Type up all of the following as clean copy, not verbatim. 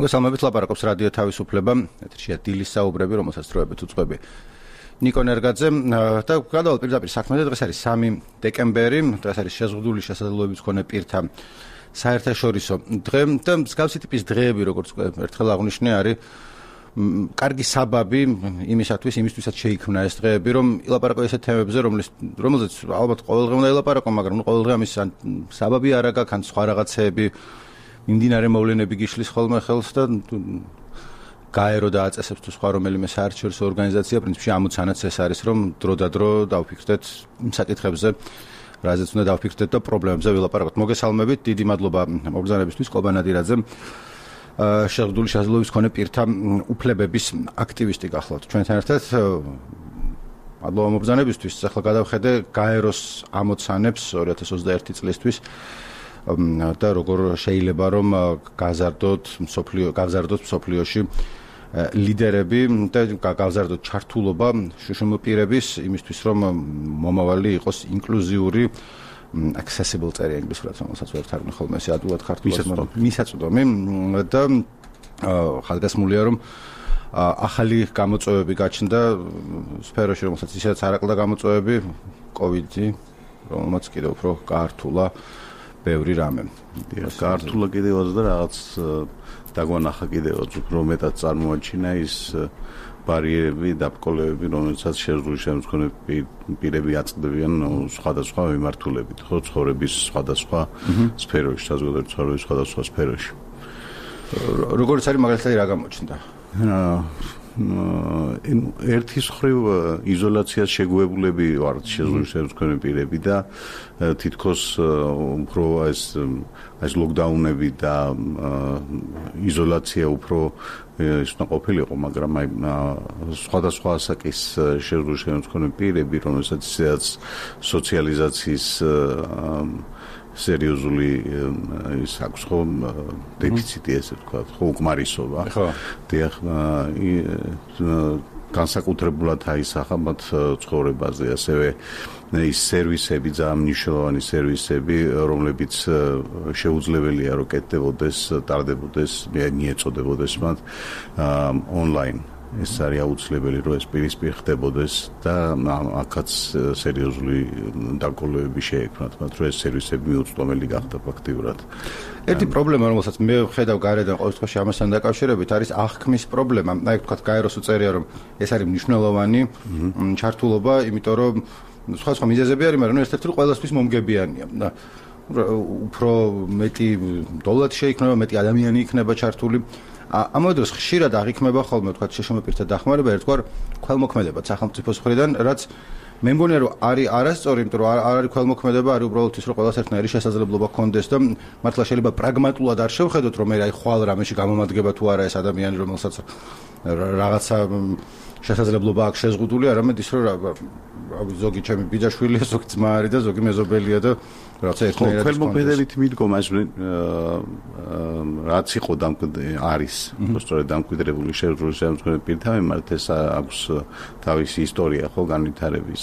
მოგესალმებით, ლაპარაკობს რადიო თავისუფლება, ეთერშია დილის საუბრები, რომელსაც დროებით უწყობი ნიკო ნერგაძე და გადავალ პირდაპირ საქმეზე. დღეს არის 3 დეკემბერი, დღეს არის შეზღუდული შესაძლებლობების მქონე პირთა საერთაშორისო დღე და მსგავსი ტიპის დღეები, როგორც ერთხელ აღვნიშნე, არის კარგი საბაბი იმისთვისაც შეიქმნა ეს დღეები, რომ ილაპარაკო ესეთ თემებზე, რომელზეც ალბათ ყოველდღე უნდა ილაპარაკო, მაგრამ ყოველდღე ამის საბაბი არ აქვს, ან სხვა რაღაცეები მიმდინარე მოვლენები გიშლის ხოლმე ხელს და გაერო და აწესებს თუ სხვა რომელიმე საერთაშორისო ორგანიზაცია, პრინციპში ამოცანაც ეს არის, რომ დრო-და-დრო დავფიქრდეთ იმ საკითხებზე, რაზეც უნდა დავფიქრდეთ და პრობლემებზე ვილაპარაკოთ. მოგესალმებით, დიდი მადლობა მობრძანებისთვის, ყობა ნადირაძე, შეზღუდული შესაძლებლობის მქონე პირთა უფლებების აქტივისტი გახლავთ ჩვენთან ერთად. მადლობა მობრძანებისთვის. ახლა გადავხედე გაეროს ამოცანებს 2021 წლისთვის და როგორ შეიძლება რომ გავზარდოთ მსოფლიოში ლიდერები და გავზარდოთ ჩართულობა შუშუმ პირების იმისთვის, რომ მომავალი იყოს ინკლუზიური, accessible წერია ინგლისურად, რომელსაც ვერ თარგმნი ხოლმე ესე ადვილად ქართულად, მისაწვდომი და ხალხასმულია, რომ ახალი გამოწვევები გაჩნდა სფეროში, რომელსაც ისედაც არ აკლდა გამოწვევები, COVID-ი, რომელმაც კიდევ უფრო გაართულა ბევრი რამე. გაართულა კიდევაც და რაღაც დაგვანახა კიდევაც უფრო მეტად წარმოაჩინა ის ბარიერები, დაბკოლებები, რომელსაც შეზღუდული შემდგომი პირები აწყდებიან სხვადასხვა მიმართულებით, ხო, ცხოვრების სხვადასხვა სფეროში, საზოგადოების ცხოვრების სხვადასხვა სფეროში. როგორც არის მაგალითად რა გამოჩნდა? ერთის მხრივ იზოლაციას შეგუებულები ვართ შეზღუდული შემდგომი პირები და თითქოს უფრო ეს ლოკდაუნები და იზოლაცია უფრო ის უნდა ყოფილიყო, მაგრამ აი სხვადასხვა ასაკის შეზღუდული შემდგომი პირები, რომელსაც ისედაც სოციალიზაციის სერიოზული ის აქვს ხო დეფიციტი, ესე ვთქვათ, ხო უკმარისობა. ხო. დიახ, განსაკუთრებულად აისახა მათ ცხოვრებაზე, ასევე ის სერვისები, ძალიან მნიშვნელოვანი სერვისები, რომლებიც შეუძლებელია რომ კეთდებოდეს, ტარდებოდეს, მიეწოდებოდეს მათ ონლაინ. ეს არის აუცილებელი, რომ ეს პირისპირ ხდებოდეს და აქაც სერიოზული დაკოლოები შეექმნათ, მათ რომ ეს სერვისები მიუწვდომელი გახდა ფაქტიურად. ერთი პრობლემა, რომელსაც მე ვხედავ გარედან ყოველ შემთხვევაში ამასთან დაკავშირებით, არის აღქმის პრობლემა. აი თქვათ, გაეროს უწერია, რომ ეს არის მნიშვნელოვანი ჩართულობა, იმიტომ რომ სხვა მიზეზები არის, მაგრამ ერთ-ერთი ყველასთვის მომგებიანია. და უფრო მეტი დოლარი შეიქმნება, მეტი ადამიანი იქნება ჩართული. ამავე დროს ხშირად აღიქმება ხოლმე თქვათ შეშმოპირთა დახმარება ერთგვარ ქველმოქმედებად სახელმწიფოს მხრიდან, რაც მე მგონია რომ არის არასწორი, იმიტომ რომ არ არის ქველმოქმედება, არის უბრალოდ ის, რომ ყველას ერთნაირი შესაძლებლობა ჰქონდეს და მართლა შეიძლება პრაგმატულად არ შევხედოთ, რომ აი ხვალ რამეში გამომადგება თუ არა ეს ადამიანი, რომელსაც რაღაცა შესაძლებლობა აქვს შეზღუდული, არამედ ის, რომ ზოგი ჩემი ბიძაშვილია, ზოგი ძმა არის და ზოგი მეზობელია და რაცა ერთნაირად ქველმოქმედებით მიდგომა რაც იყო არის სწორედ დამკვიდრებული შეზღუდული შემდგომი პირთა მიმართ, ეს აქვს თავისი ისტორია ხო განვითარების,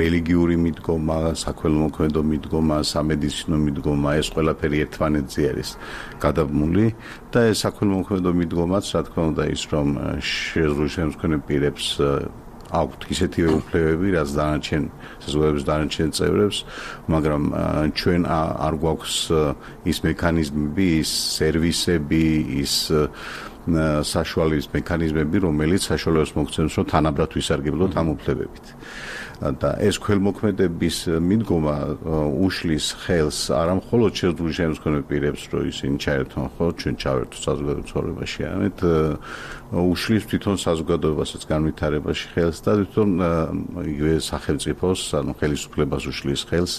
რელიგიური მიდგომა, საქველმოქმედო მიდგომა, სამედიცინო მიდგომა, ეს ყველაფერი ერთმანეთზე არის გადაბმული და ეს საქველმოქმედო მიდგომაც, რა თქმა უნდა, ის რომ შეზღუდული შემდგომი პირებს აქვთ ისეთივე უფლებები, რაც დანარჩენ საზოგადოების დანარჩენ წევრებს, მაგრამ ჩვენ არ გვაქვს ის მექანიზმები, ის სერვისები, ის საშუალების მექანიზმები, რომელიც საშუალებას მოგცემს, რომ თანაბრად ვისარგებლოთ ამ უფლებებით. და ეს ქველმოქმედების მიდგომა უშლის ხელს არა მხოლოდ შეზღუდული შემდგომი პირებს, რომ ისინი ჩაერთონ ხო ჩვენ ჩავერთო საზოგადოების ცხოვრებაში, არამედ უშლის თვითონ საზოგადოებასაც განვითარებაში ხელს და თვითონ იგივე სახელმწიფოს, ანუ ხელისუფლებას უშლის ხელს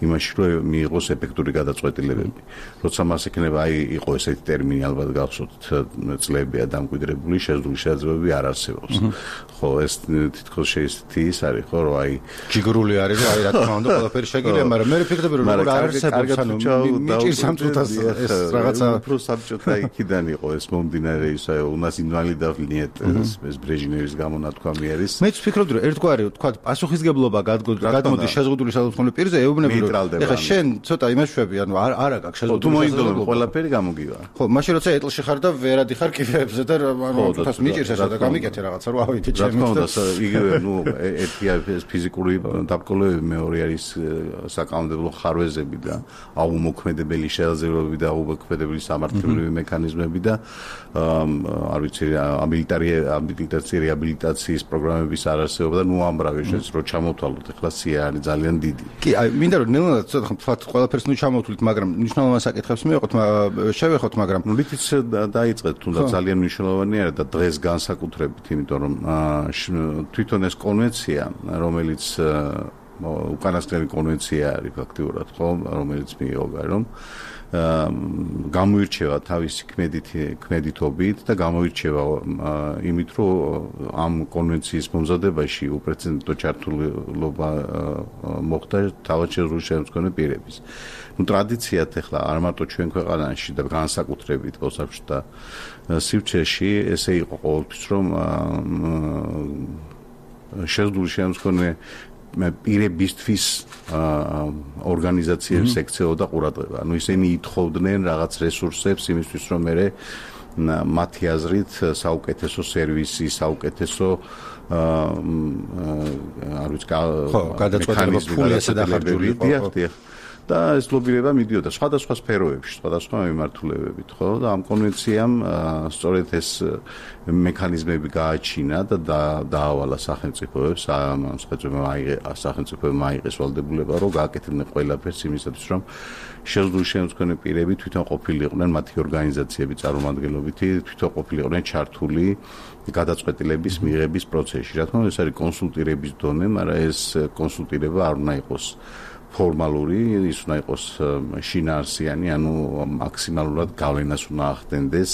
იმაში, რომ მიიღოს ეფექტური გადაწყვეტილებები. როცა მას ექნება, აი იყო ესეთი ტერმინი, ალბათ გახსოვთ, წლებია დამკვიდრებული, შეზღუდული შესაძლებლობები არ არსებობს. ხო, ეს თითქოს შეესთი ის არის, ხო, რომ აი აი ჯიგრული არის და აი რა თქმა უნდა ყველაფერი შეგიძლია, მაგრამ მე ვფიქრობ რომ როგორ არსებობს ანუ მიჭირს ამ წუთას ეს რაღაცა უფრო საბჭოთა იქიდან იყო ეს მომდინარე ისა უნას ინვალიდავნიეთ ეს ბრეჟნევის გამონათქვამი არის. მეც ვფიქრობ რომ ერთგვარი თქვა პასუხისგებლობა გადმოდის შეზღუდული სადღაც პირზე ეუბნები რომ ეხლა შენ ცოტა იმაშვები ანუ არა გაქვს შეზღუდული სადღაც ყველაფერი გამოგივა. ხო, მაშინ როცა ეტლში ხარ და ვერ ადიხარ კიფეებზე და ანუ თვითონ მიჭირს ესა და გამიკეთე რაღაცა რომ ავიდე ჩემს და იგივე ნუ ერთია ეს ფიზიკური დაბრკოლებები, მეორე არის საკანონმდებლო ხარვეზები და აუმოქმედებელი შესაძლებლობები და აუმოქმედებელი სამართლებრივი მექანიზმები და არ ვიცი აბილიტაცია რეაბილიტაციის პროგრამების არარსებობა და ნუ ამრავი შეც რო ჩამოვთვალოთ ახლა სია არის ძალიან დიდი. კი, აი მინდა რომ ნელ-ნელა ცოტა თქვათ ყველაფერს ნუ ჩამოვთვლით, მაგრამ მნიშვნელოვან საკითხებს შევეხოთ, მაგრამ ნუ ლითიც დაიწყეთ თუნდაც ძალიან მნიშვნელოვანია და დღეს განსაკუთრებით, იმიტომ რომ თვითონ ეს კონვენცია, რომელიც უკანასკნელი კონვენცია არის ფაქტიურად, ხო, რომელიც მიიღო გარემო გამოირჩევა თავისი ქმედითობით და გამოირჩევა იმით, რომ ამ კონვენციის მომზადებაში უპრეცედენტო ჩართულობა მოხდა თავად შეზღუდული შემდგომი პირების. ნუ ტრადიციად ახლა არ მარტო ჩვენ ქვეყანაში და განსაკუთრებით ოსაბჭოთა სივრცეში ესე იყო ყოველთვის, რომ შეზღუდული შემდგომი პირებისთვის ორგანიზაციებს ექცეოდა ყურადღება. ანუ ისინი ითხოვდნენ რაღაც რესურსებს იმისთვის, რომ მე მათი აზრით საუკეთესო სერვისი, საუკეთესო არ ვიცი გადაწყვეტილება ფული ესე დახარჯულიყო. და ეს ლობირება მიდიოდა სხვადასხვა სფეროებში, სხვადასხვა მიმართულებებით, ხო? და ამ კონვენციამ სწორედ ეს მექანიზმები გააჩინა და დაავალა სახელმწიფოებს, სახელმწიფოებმა აიღეს ვალდებულება, რომ გააკეთებდნენ ყველაფერს იმისათვის, რომ შეზღუდული შემდგომი პირები თვითონ ყოფილიყვნენ მათი ორგანიზაციების წარმომადგენლობითი, თვითონ ყოფილიყვნენ ჩართული გადაწყვეტილების მიღების პროცესში. რა თქმა უნდა, ეს არის კონსულტირების დონე, მაგრამ ეს კონსულტირება არ უნდა იყოს ფორმალური, ის უნდა იყოს შინაარსიანი, ანუ მაქსიმალურად გავლენას უნდა ახდენდეს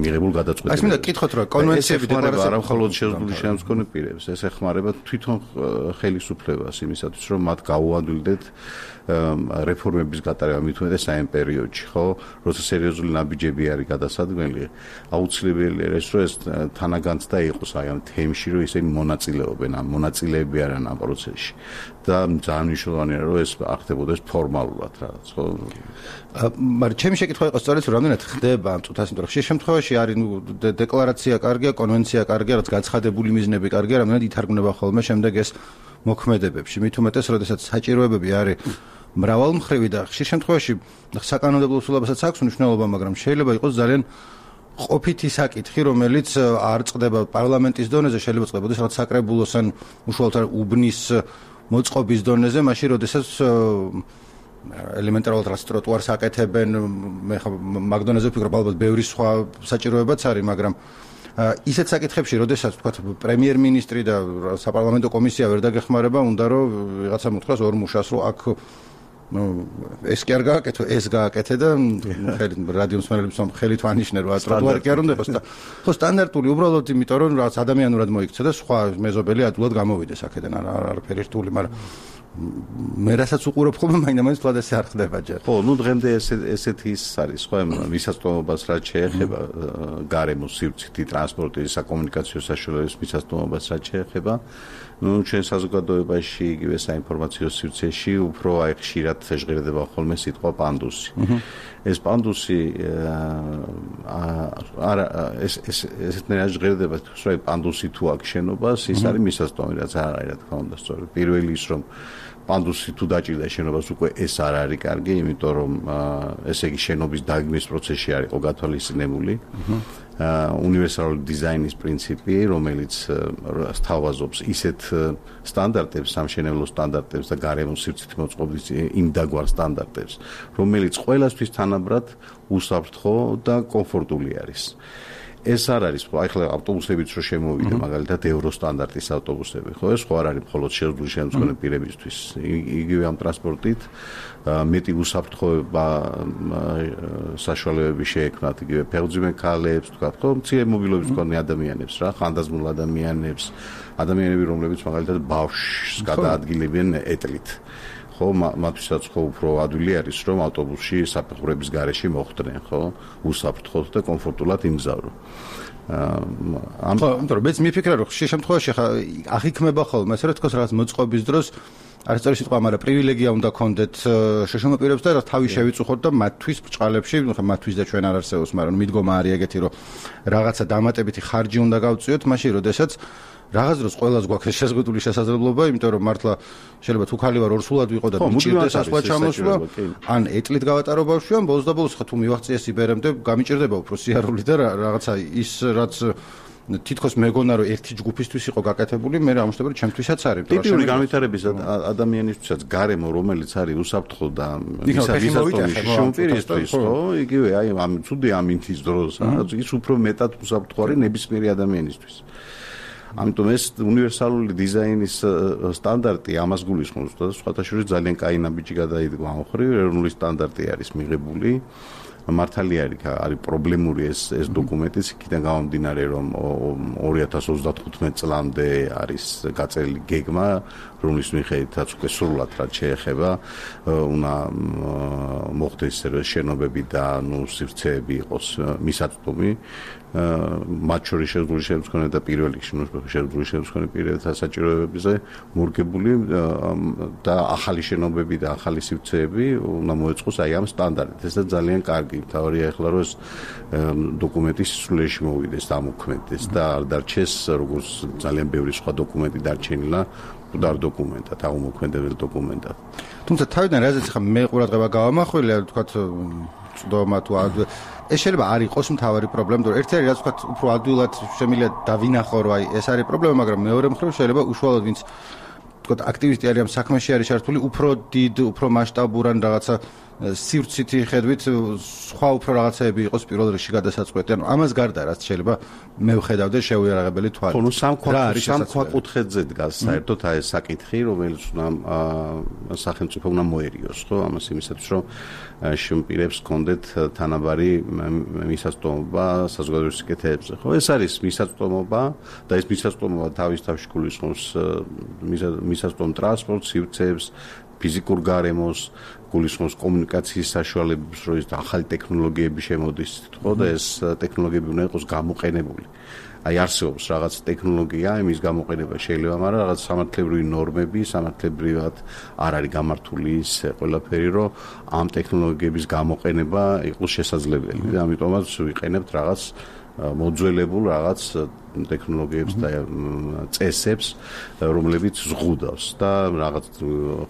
მიღებულ გადაწყვეტილებებს. აი მინდა გითხოთ რომ კონვენციები დეკლარაცია არა მხოლოდ შეზღუდული შემდგომი პირებს, ეს ეხმარება თვითონ ხელისუფლებას იმისათვის, რომ მათ გაუადვილდეთ რეფორმების გატარება მით უმეტეს საიმ პერიოდში, ხო? როცა სერიოზული ნაბიჯები არის გადასადგმელი, აუცილებელია ეს რომ ეს თანაგანცდა იყოს აი ამ თემში, რომ ისინი მონაწილეობენ, მონაწილეები არიან ამ პროცესში. და ძალიან მნიშვნელოვანია რომ ეს ახდებოდეს ფორმალურად რაღაც, ხო? მაგრამ ჩემი შეკითხვა იყო სწორედ რომ რამდენად ხდება ამ წუთას, იმიტომ რომ ხშირ შემთხვევაში არის ნუ დეკლარაცია კარგია, კონვენცია კარგია, რაც გაცხადებული მიზნები კარგია, რამდენად ითარგმნება ხოლმე შემდეგ ეს მოქმედებებში. მით უმეტეს, როდესაც საჭიროებები არის მრავალმხრივი და ხშირ შემთხვევაში საკანონმდებლო სულაბასაც აქვს მნიშვნელობა, მაგრამ შეიძლება იყოს ძალიან ყოფითი საკითხი, რომელიც არ წყდება პარლამენტის დონეზე, შეიძლება წყდებოდეს რაღაც საკრებულოს ან უშუალოდ უბნის მოწყობის დონეზე, მაშინ როდესაც ელემენტარულად რაც ტროტუარს აკეთებენ, მე ხა მაგ დონეზე ვფიქრობ, ალბათ ბევრი სხვა საჭიროებაც არის, მაგრამ ისეთ საკითხებში, როდესაც თქვათ პრემიერ-მინისტრი და საპარლამენტო კომისია ვერ დაგეხმარება, უნდა რომ ვიღაცა მოთხრას ორ მუშას, რომ აქ ეს კი არ გააკეთო, ეს გააკეთე და რადიო მსმენელებს ხელით ვანიშნე, რომ ტროტუარი კი არ უნდა იყოს და ხო სტანდარტული უბრალოდ იმიტომ რომ რაც ადამიანურად მოიქცა და სხვა მეზობელი ადულად გამოვიდეს აქედან არაფერი რთული, მაგრამ მე რასაც უყურებ ხოლმე მაინც თვალ ესე არ ხდება ჯერ. ხო, ნუ დღემდე ესეთი ის არის, ხო, მისაწვდომობას რაც შეეხება გარემოს სივრცითი ტრანსპორტის, საკომუნიკაციო საშუალებების მისაწვდომობას რაც შეეხება, ნუ ჩვენ საზოგადოებაში იგივე საინფორმაციო სივრცეში უფრო აი ხშირად ჟღერდება ხოლმე სიტყვა პანდუსი. ეს პანდუსი არა ესეთნაირად ჟღერდება, რომ პანდუსი თუ აქვს შენობას, ის არის მისაწვდომი, რაც არ არის, რა თქმა უნდა, სწორედ. პირველი ის რომ პანდუსი თუ დაჭირდა შენობას უკვე ეს არ არის კარგი, იმიტომ რომ ესე იგი შენობის დაგეგმვის პროცესში არ იყო გათვალისწინებული. უნივერსალური დიზაინის პრინციპი, რომელიც სთავაზობს ისეთ სტანდარტებს, სამშენებლო სტანდარტებს და გარემოს სივრცითი მოწყობის იმდაგვარ სტანდარტებს, რომელიც ყველასთვის თანაბრად უსაფრთხო და კომფორტული არის. ეს არ არის, ახლა ავტობუსებიც რო შემოვიდა, მაგალითად ევრო სტანდარტის ავტობუსები, ხო, ეს ხო არ არის მხოლოდ შეზღუდული შემწყნელი პირებისთვის. იგივე ამ ტრანსპორტით მეტი უსაფრთხოება საშუალებები შეექმნათ იგივე ფეხმძიმე ქალებს, თქვა, ხო, მცირე მობილობის მქონე ადამიანებს რა, ხანდაზმულ ადამიანებს, ადამიანები, რომლებიც მაგალითად ბავშვს გადაადგილებენ ეტლით. ხო, მათთვისაც ხო უფრო ადვილი არის, რომ ავტობუსში საფეხურების გარეშე მოხვდნენ, ხო, უსაფრთხოდ და კომფორტულად იმგზავრო. ხო, იმიტომ რომ მეც მიფიქრე, რომ ხშირ შემთხვევაში ხა აღიქმება ხოლმე, ასე რომ თქოს რაღაც მოწყობის დროს არის წერი სიტყვა, მაგრამ პრივილეგია უნდა გქონდეთ შეშმო პირებს და თავი შევიწუხოთ და მათთვის ბრჭყალებში, ხა მათთვის და ჩვენ არ არსებობს, მაგრამ მიდგომა არის ეგეთი, რომ რაღაცა დამატებითი ხარჯი უნდა გავწიოთ, მაშინ როდესაც რაღაც დროს ყველას გვაქვს შეზღუდული შესაძლებლობა, იმიტომ რომ მართლა შეიძლება თუ ხალი ვარ ორსულად ვიყო და მიჭირდეს ასვლა ჩამოსვლა, ან ეტლით გავატარო ბავშვი, ან ბოლოს და ბოლოს ხა თუ მივაღწიე სიბერემდე, გამიჭირდება უფრო სიარული და რაღაცა ის რაც თითქოს მეგონა რომ ერთი ჯგუფისთვის იყო გაკეთებული, მე ამბობ რომ ჩემთვისაც არის. ტიპიური განვითარების ადამიანისთვისაც გარემო, რომელიც არის უსაფრთხო და ვისაც შემპირისთვის, ხო, იგივე აი ამ ცუდი ამინთის დროს, ის უფრო მეტად უსაფრთხო არის ნებისმიერი ადამიანისთვის. ამიტომ ეს უნივერსალური დიზაინის სტანდარტი ამას გულისხმობს და სხვათა შორის ძალიან კაი ნაბიჯი გადაიდგა ამ ხრივ, ეროვნული სტანდარტი არის მიღებული. მართალია არის პრობლემური ეს დოკუმენტიც, იქიდან გამომდინარე, რომ 2035 წლამდე არის გაწერილი გეგმა, რომლის მიხედვითაც უკვე სრულად რაც შეეხება, უნდა მოხდეს შენობები და სივრცეები იყოს მისაწვდომი. მათ შორის შეზღუდული შემწყნელი და პირველ რიგში შეზღუდული შემწყნელი პირებთან საჭიროებებზე მორგებული და ახალი შენობები და ახალი სივრცეები უნდა მოეწყოს აი ამ სტანდარტით. ეს ძალიან კარგი. თავარია ახლა რომ ეს დოკუმენტი სისულელში მოვიდეს, დამოქმედდეს და არ დარჩეს როგორც ძალიან ბევრი სხვა დოკუმენტი დარჩენილა მკვდარ დოკუმენტად, აღმოქმედებელ დოკუმენტად. თუმცა თავიდან რაზეც ხა მე ყურადღება გავამახვილე, თქვათ წვდომა თუ ეს შეიძლება არ იყოს მთავარი პრობლემა, რომ ერთი არის რაც ვთქვათ, უფრო ადვილად შემიძლია დავინახო, რომ აი ეს არის პრობლემა, მაგრამ მეორე მხრივ შეიძლება უშუალოდ ვინც ვთქვათ, აქტივისტი არის ამ საქმეში არის ჩართული, უფრო დიდ, უფრო მასშტაბურან რაღაცა სივრცითი ხედვით სხვა უფრო რაღაცეები იყოს პირველ რიგში გადასაწყვეტი. ანუ ამას გარდა რაც შეიძლება მე ვხედავდე შეუიარაღებელი თვალით. ხო, სამ ქვაკუთხედზე დგას საერთოდ აი ეს საკითხი, რომელიც სახელმწიფო უნდა მოერიოს, ხო, ამას იმისათვის, რომ შემპირებს კონდეთ თანაბარი მისაწვდომობა საზოგადოების სიკეთეებზე. ხო, ეს არის მისაწვდომობა და ეს მისაწვდომობა თავის თავში გულისხმობს მისაწვდომ ტრანსპორტს, სივრცეებს, ფიზიკურ გარემოს, გულისხმობს კომუნიკაციის საშუალებებს, რომ ის ახალი ტექნოლოგიები შემოდის, ხო და ეს ტექნოლოგიები უნდა იყოს გამოყენებული. აი არსებობს რაღაც ტექნოლოგია, იმის გამოყენება შეიძლება, მაგრამ რაღაც სამართლებრივი ნორმები, სამართლებრივად არ არის გამართული ის ყველაფერი, რომ ამ ტექნოლოგიების გამოყენება იყოს შესაძლებელი. და ამიტომაც ვიყენებთ რაღაც მოძველებულ რაღაც ტექნოლოგიებს და წესებს, რომლებიც ზღუდავს და რაღაც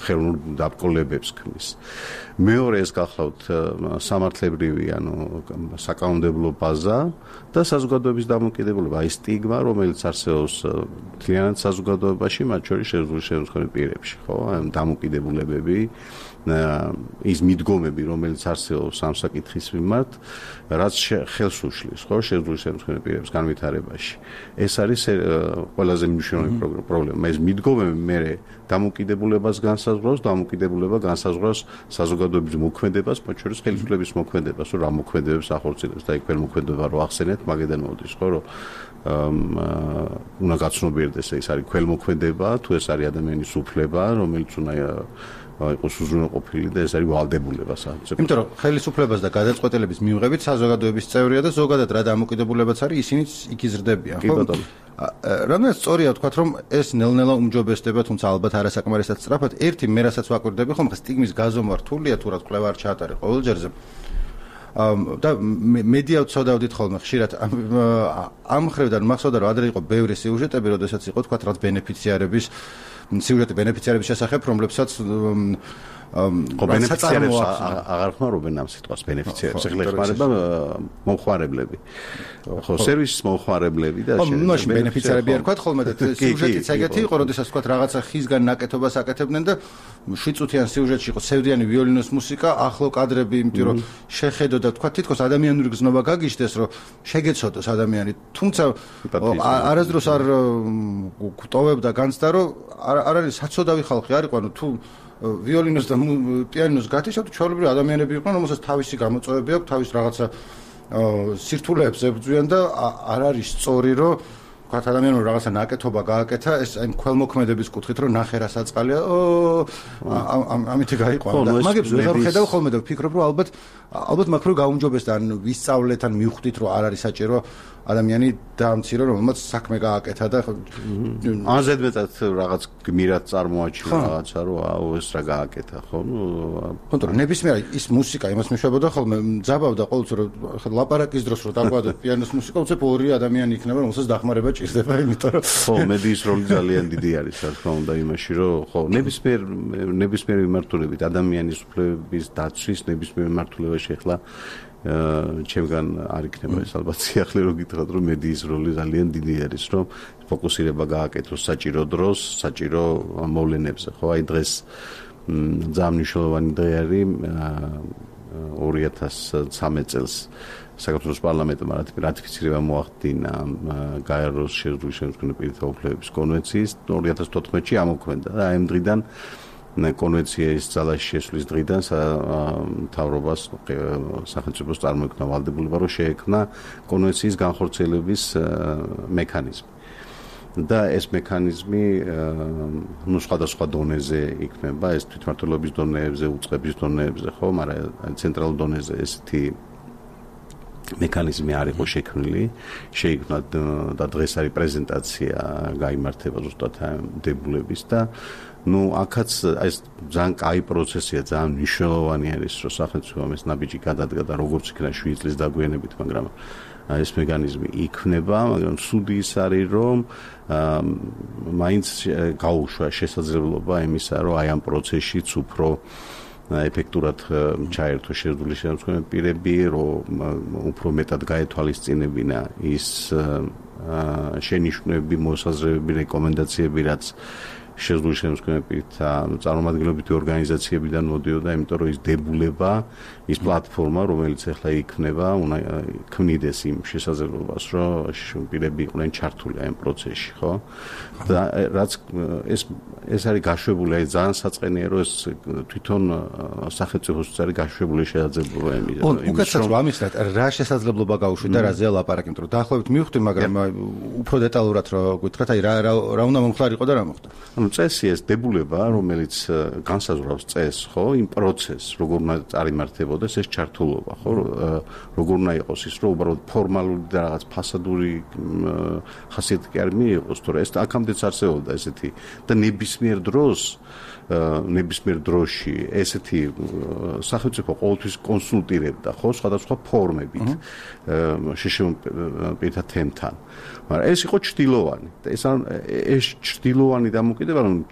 ხელოვნურ დაბრკოლებებს ქმნის. მეორე ეს გახლავთ სამართლებრივი, ანუ საკანონმდებლო ბაზა და საზოგადოების დამოკიდებულება, აი სტიგმა, რომელიც არსებობს მთლიანად საზოგადოებაში, მათ შორის შეზღუდული შემწყნელი პირებში, ხო, აი დამოკიდებულებები, ის მიდგომები, რომელიც არსებობს ამ საკითხის მიმართ, რაც ხელს უშლის, ხო, შეზღუდული შემწყნელი პირების განვითარებაში. ეს არის ყველაზე მნიშვნელოვანი პრობლემა. ეს მიდგომები მე დამოკიდებულებას განსაზღვრავს, დამოკიდებულება განსაზღვრავს საზოგადოების მოქმედებას, მათ შორის ხელისუფლების მოქმედებას, რომ რა მოქმედებებს ახორციელებს და იქ მოქმედება რო ახსენეთ, მაგედან მოდის, ხო, რომ უნდა გაცნობიერდეს ეს არის ქველმოქმედება, თუ ეს არის ადამიანის უფლება, რომელიც უნდა იყოს უზრუნველყოფილი და ეს არის ვალდებულება სახელმწიფოს. იმიტომ რომ ხელისუფლებას და გადაწყვეტილების მიღებით საზოგადოების წევრია და ზოგადად რა დამოკიდებულებაც არის, ისინიც იქ იზრდებიან, ხო? კი ბატონო. რამდენად სწორია ვთქვათ, რომ ეს ნელ-ნელა უმჯობესდება, თუმცა ალბათ არასაკმარისად სწრაფად. ერთი მე რასაც ვაკვირდები ხომ, ხა სტიგმის გაზომა რთულია თუ რა კვლევა არ ჩაატარე ყოველ ჯერზე. და მედია ვწოდავდით ხოლმე ხშირად ამ ხრევიდან მახსოვდა რომ ადრე იყო ბევრი სიუჟეტები, როდესაც იყო თქვათ რაც ბენეფიციარების სიუჟეტი ბენეფიციარების შესახებ, რომლებსაც ბენეფიციარებს აღარ ხმარობენ ამ სიტყვას ბენეფიციარებს, ეხლა ხმარება მომხმარებლები. ხო, სერვისის მომხმარებლები და მაშინ ბენეფიციარები არ ვქოთ ხოლმე და სიუჟეტიც ეგეთი იყო, როდესაც ვქოთ რაღაცა ხისგან ნაკეთობას აკეთებდნენ და 7 წუთიან სიუჟეტში იყო სევრიანი ვიოლინოს მუსიკა, ახლო კადრები, იმიტომ რომ შეხედო და ვქოთ თითქოს ადამიანური გზნობა გაგიჟდეს, რომ შეგეცოდოს ადამიანი, თუმცა არასდროს არ გვტოვებდა განცდა, რომ არ არის საცოდავი ხალხი არ იყო, ანუ თუ ვიოლინოს და პიანინოს გათიშავთ, ჩვეულებრივი ადამიანები იყვნენ, რომელსაც თავისი გამოწვევები აქვს, თავის რაღაცა სირთულეებს ებრძვიან და არ არის სწორი, რომ ვთქვათ ადამიანმა რაღაცა ნაკეთობა გააკეთა, ეს აი ქველმოქმედების კუთხით, რომ ნახე რა საწყალია, ამითი გაიყვანა და მაგებს ვეღარ ვხედავ ხოლმე და ვფიქრობ, რომ ალბათ მაქვს რომ გაუმჯობეს და ან ვისწავლეთ, ან მივხვდით, რომ არ არის საჭირო ადამიანი დაამცირო, რომელმაც საქმე გააკეთა და ან ზედმეტად რაღაც გმირად წარმოაჩინა რაღაცა, რომ აუ ეს რა გააკეთა, ხო? კონტროლ ნებისმიერ ის მუსიკა იმას მიშვებოდა ხოლმე, ძაბავდა ყოველთვის რომ ლაპარაკის დროს რომ დაგვადოთ პიანოს მუსიკა, უცებ ორი ადამიანი იქნება, რომელსაც დახმარება ჭირდება, იმიტომ რომ ხო, მედიის როლი ძალიან დიდი არის, რა თქმა უნდა, იმაში, რომ ხო, ნებისმიერ მიმართულებით ადამიანის უფლებების დაცვის ნებისმიერ მიმართულებაში ახლა ჩემგან არ იქნება ეს ალბათ სიახლე რომ გითხრათ რომ მედიის როლი ძალიან დიდი არის რომ ფოკუსირება გააკეთოს საჭირო დროს, საჭირო მოვლენებზე, ხო? აი დღეს ძალიან მნიშვნელოვანი დღე არის 2013 წელს საქართველოს პარლამენტმა რატიფიცირება მოახდინა გაეროს შეზღუდული შემდგომი პირთა უფლებების კონვენციის 2014-ში ამოქმედა და აი ამ დღიდან კონვენციის ძალაში შესვლის დღიდან მთავრობას სახელმწიფოს წარმოექმნა ვალდებულება რომ შეექმნა კონვენციის განხორციელების მექანიზმი და ეს მექანიზმი სხვადასხვა დონეზე იქნება ეს თვითმმართველობის დონეებზე, უწყების დონეებზე, ხო, მაგრამ ცენტრალურ დონეზე ესეთი მექანიზმი არ იყო შექმნილი, შეიქმნა და დღეს არის პრეზენტაცია გაიმართება ზუსტად დებულების და აქაც ეს ძალიან კაი პროცესია, ძალიან მნიშვნელოვანი არის, რომ სახელმწიფომ ეს ნაბიჯი გადადგა და როგორც იქნა 7 წლის დაგვიანებით, მაგრამ ეს მექანიზმი იქნება, მაგრამ სუდი ის არის, რომ მაინც გაუშვა შესაძლებლობა იმისა, რომ აი ამ პროცესშიც უფრო ეფექტურად ჩაერთო შეზღუდული შემდგომი პირები, რომ უფრო მეტად გაეთვალისწინებინა ის შენიშვნები, მოსაზრებები, რეკომენდაციები, რაც შეზღუდული შემდგომი პირთა წარმომადგენლობითი ორგანიზაციებიდან მოდიოდა, იმიტომ რომ ის დებულება, ის პლატფორმა, რომელიც ახლა იქნება, უნდა ქმნიდეს იმ შესაძლებლობას, რომ პირები იყვნენ ჩართული ამ პროცესში, ხო? და რაც ეს არის გაშვებული, აი ძალიან საწყენია, რომ ეს თვითონ სახელმწიფოს არის გაშვებული შესაძლებლობა იმის. უკაცრავ ამისთან რა შესაძლებლობა გაუშვით და რაზეა ლაპარაკი, იმიტომ რომ დაახლოებით მივხვდი, მაგრამ უფრო დეტალურად რა გითხრათ, აი რა უნდა მომხდარიყო და რა მოხდა. წესი ეს დებულება, რომელიც განსაზღვრავს წესს, ხო, იმ პროცესს, როგორ უნდა წარიმართებოდეს ეს ჩართულობა, ხო, როგორ უნდა იყოს ის, რომ უბრალოდ ფორმალური და რაღაც ფასადური ხასიათი კი არ მიიღოს, თორე ეს აქამდეც არსებობდა ესეთი და ნებისმიერ დროში ესეთი სახელმწიფო ყოველთვის კონსულტირებდა, ხო, სხვადასხვა ფორმებით შეშემოყრებილ თემთან. მაგრამ ეს იყო ჩრდილოვანი და ეს ჩრდილოვანი დამოკიდება, რომ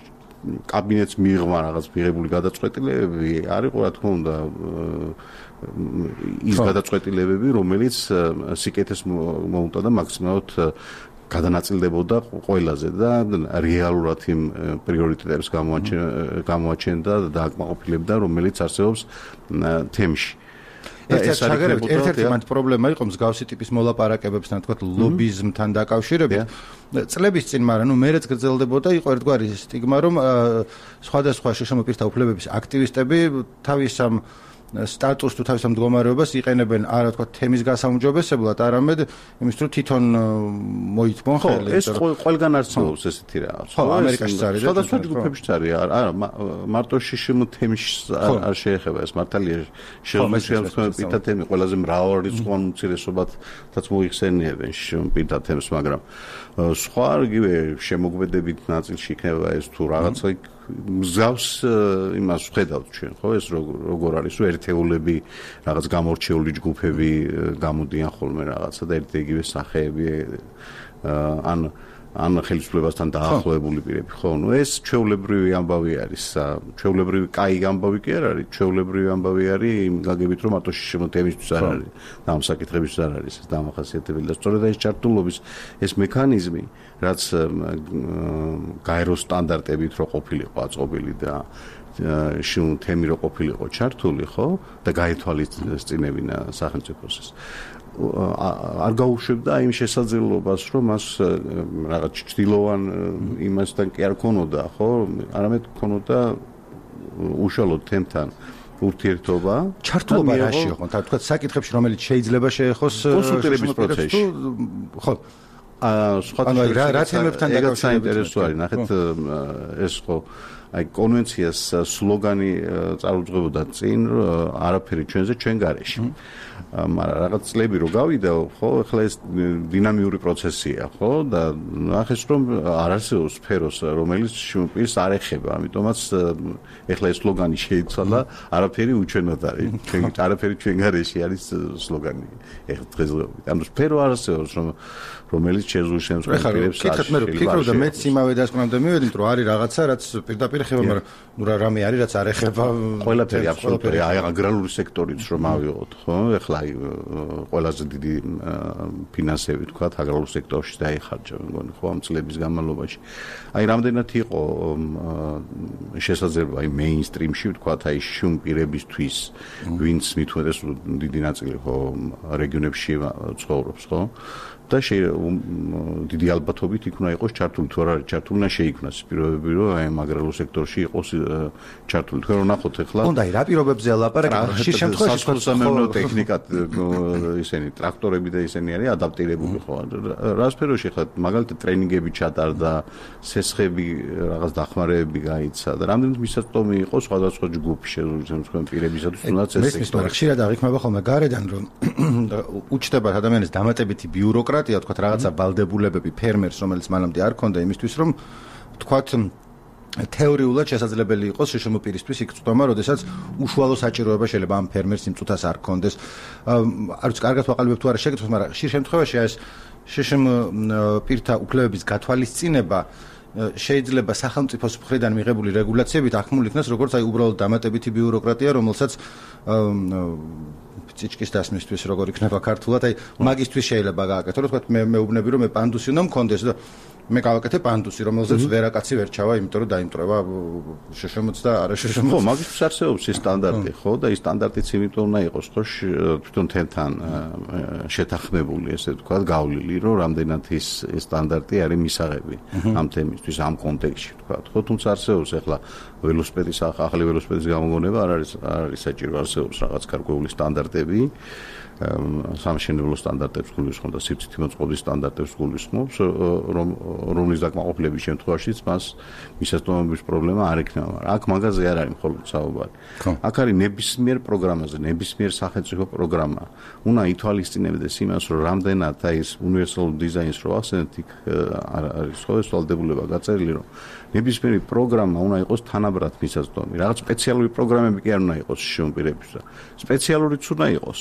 კაბინეტს მიიღმა რაღაც მიღებული გადაწყვეტილებები, არ იყო რა თქმა უნდა ის გადაწყვეტილებები, რომელიც სიკეთეს მოუტა და მაქსიმალურად გადანაწილდებოდა ყველაზე და რეალურად იმ პრიორიტეტებს გამოაჩენდა და დააკმაყოფილებდა, რომელიც არსებობს თემში. ერთ-ერთი მანდ პრობლემა იყო მსგავსი ტიპის მოლაპარაკებებთან, თქვათ, ლობიზმთან დაკავშირებით. წლების წინ, მაგრამ მერეც გრძელდებოდა, იყო ერთგვარი სტიგმა, რომ სხვადასხვა შეშმო პირთა უფლებების აქტივისტები თავის ამ სტატუსს თუ თავის ამ მდგომარეობას იყენებენ არა თქვა თემის გასაუმჯობესებლად, არამედ იმის თუ თვითონ მოითმონ ხელი. ეს ყველგან არსებობს ესეთი რაღაც. ხო, ამერიკაშიც არის. სხვადასხვა ჯგუფებშიც არის. არა, მარტო შეშმო თემში არ შეეხება ეს მართალია შეშმო პირთა თემი ყველაზე მრავალრიცხოვან უმცირესობათაც მოიხსენიებენ შეშმო პირთა თემს, მაგრამ სხვა იგივე შემოქმედებით ნაწილში იქნება ეს თუ რაღაცა მსგავს იმას ვხედავთ ჩვენ, ხო, ეს როგორ არის, რომ ერთეულები, რაღაც გამორჩეული ჯგუფები გამოდიან ხოლმე რაღაცა და ერთ-იგივე სახეები ან ან ხელისუფლებასთან დაახლოებული პირები, ხო? ნუ ეს ჩვეულებრივი ამბავი არის. ჩვეულებრივი კაი ამბავი კი არ არის, ჩვეულებრივი ამბავი არის იმ გაგებით, რომ მარტო შემოთემისთვის არ არის და ამ საკითხებისთვის არ არის ეს დამახასიათებელი და სწორედ ეს ჩართულობის ეს მექანიზმი, რაც გაერო სტანდარტებით რო ყოფილიყო აწყობილი და თემი რო ყოფილიყო ჩართული, ხო? და გაეთვალისწინებინა სახელმწიფოს ეს არ გაუშვებდა იმ შესაძლებლობას, რომ მას რაღაც ჭრილოვან იმასთან კი არ ქონოდა, ხო? არამედ ქონოდა უშუალოდ თემთან ურთიერთობა. ჩართულობა რაში იყო? თქვა საკითხებში, რომელიც შეიძლება შეეხოს კონსულტირების პროცესში. ხო. სხვა რა თემებთან დაკავშირებით არის? ნახეთ, ეს ხო აი კონვენციას სლოგანი წარუძღვებოდა წინ, არაფერი ჩვენზე, ჩვენ გარეშე. მაგრამ რაღაც წლები რო გავიდა, ხო, ახლა ეს დინამიური პროცესია, ხო, და ნახეს რომ არ არსებობს სფეროს, რომელიც შუმპირს არ ეხება, ამიტომაც ახლა ეს სლოგანი შეიცვალა, არაფერი უჩვენოდ არის. ჩვენ არაფერი ჩვენ გარეშე არის სლოგანი. ახლა დღესდღეობით. ანუ სფერო არ არსებობს, რომელიც შეზღუდავს პირებს. კითხეთ, მე ვფიქრობ და მეც იმავე დასკვნამდე მივედით, რომ არის რაღაცა, რაც პირდაპირ ეხება, მაგრამ ნუ რამე არის, რაც არ ეხება ყველაფერი აბსოლუტური, აი აგრარული სექტორიც რომ ავიღოთ, ხო? ახლა ყველაზე დიდი ფინანსები თქვა აგრარულ სექტორში დაიხარჯა, მგონი ხო ამ წლების განმავლობაში. აი რამდენად იყო შესაძლებელი აი მეინსტრიმში თქვა აი შუმ პირებისთვის, ვინც მithumetes დიდი ნაწილი ხო რეგიონებში ცხოვრობს, ხო? და დიდი ალბათობით იქ უნდა იყოს ჩართული, თუ არ არის ჩართული, უნდა შეიქმნას პირობები, რომ აი ამ აგრარულ სექტორში იყოს ჩართული. თქვენ რომ ნახოთ ახლა უნდა აი რა პირობებზე ლაპარაკობთ, ხშირ შემთხვევაში სასამეურნეო ტექნიკად ისინი ტრაქტორები და ისინი არის ადაპტირებული ხო? რა სფეროში ახლა მაგალითად ტრენინგები ჩატარდა, სესხები რაღაც დახმარებები გაიცა და რამდენიც მისაწვდომი იყო სხვადასხვა ჯგუფი შემოქმედებითი პირებისათვის, თუნდაც ეს სექტორი. ხშირად აღიქმება ხოლმე გარედან, რომ უჩნდება ადამიანის დამატებითი ბიუროკრატია, თქვათ რაღაცა ვალდებულებები ფერმერს, რომელიც მანამდე არ ქონდა იმისთვის, რომ თქვათ თეორიულად შესაძლებელი იყოს შშმ პირისთვის იქ წვდომა, როდესაც უშუალო საჭიროება შეიძლება ამ ფერმერს იმ წუთას არ ქონდეს. არ ვიცი, კარგად ვაყალიბებ თუ არა შეკითხვას, მაგრამ ხშირ შემთხვევაში ეს შშმ პირთა უფლებების გათვალისწინება შეიძლება სახელმწიფოს მხრიდან მიღებული რეგულაციებით ახმული იქნას, როგორც აი უბრალოდ დამატებითი ბიუროკრატია, რომელსაც წიჭკის დასმისთვის როგორ იქნება ქართულად, აი მაგისტვის შეიძლება გააკეთო, რომ თქვათ მე მეუბნები რომ მე პანდუსი უნდა მქონდეს და მე გავაკეთე პანდუსი, რომელზეც ვერაკაცი ვერ ჩავა, იმიტომ რომ დაიმტრება შშმ-ც და არა შშმ-ც. ხო, მაგისტვის არსებობს ეს სტანდარტი, ხო, და ეს სტანდარტიც იმიტომ უნდა იყოს, ხო, თვითონ თემთან შეთანხმებული, ესე ვთქვათ, გავლილი, რომ რამდენად ეს სტანდარტი არის მისაღები ამ თემისთვის, ამ კონტექსტში, ვთქვათ. ხო, თუმცა არსებობს ახლა ველოსიპედის ახალი ველოსიპედის გამოგონება არ არის საჭირო, არსებობს რაღაც გარკვეული სტანდარტები. სამშენებლო სტანდარტებს გულისხმობს და სივრცითი მოწყობის სტანდარტებს გულისხმობს, რომლის დაკმაყოფილების შემთხვევაშიც მას მისაწვდომების პრობლემა არ ექნება, მაგრამ აქ მაგაზე არ არის მხოლოდ საუბარი. აქ არის ნებისმიერ პროგრამაზე, ნებისმიერ სახელმწიფო პროგრამა. უნდა ითვალისწინებდეს იმას, რომ რამდენად აი ეს უნივერსალური დიზაინს რო ახსენეთ, იქ არის ხო ეს ვალდებულება გაწერილი, რომ ნებისმიერი პროგრამა უნდა იყოს თანაბრად მისაწვდომი. რაღაც სპეციალური პროგრამები კი არ უნდა იყოს შრომპირებისა. სპეციალურიც უნდა იყოს,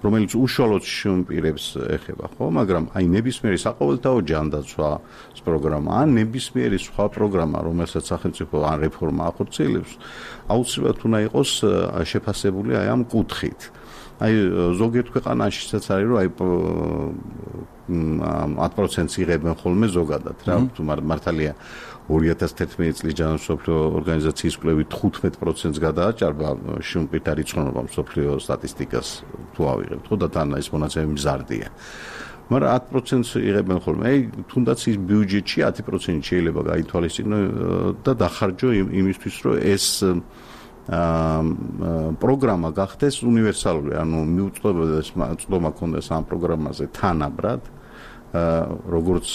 რომელიც უშუალოდ შრომპირებს ეხება, ხო? მაგრამ აი ნებისმიერი საყოველთაო ჯანდაცვის პროგრამა, ან ნებისმიერი სხვა პროგრამა, რომელსაც სახელმწიფო ან რეფორმა ახორციელებს, აუცილებლად უნდა იყოს შეფასებული აი ამ კუთხით. აი ზოგიერთ ქვეყანაშიც არის რომ აი 10% იღებენ ხოლმე ზოგადად რა თუ მართალია 2011 წლის ჯანმრთელობის მსოფლიო ორგანიზაციის კვლევით 15%-ს გადააჭარბა შრომპირთა რიცხოვნობა მსოფლიო სტატისტიკას თუ ავიღებთ ხო და თან ეს მონაცემები მზარდია მაგრამ 10%-ს იღებენ ხოლმე აი თუნდაც ის ბიუჯეტში 10% შეიძლება გაითვალისწინო და დახარჯო იმისთვის რომ ეს პროგრამა გახდეს უნივერსალური, ანუ მიუწვდომდეს წვდომა ქონდეს ამ პროგრამაზე თანაბრად, როგორც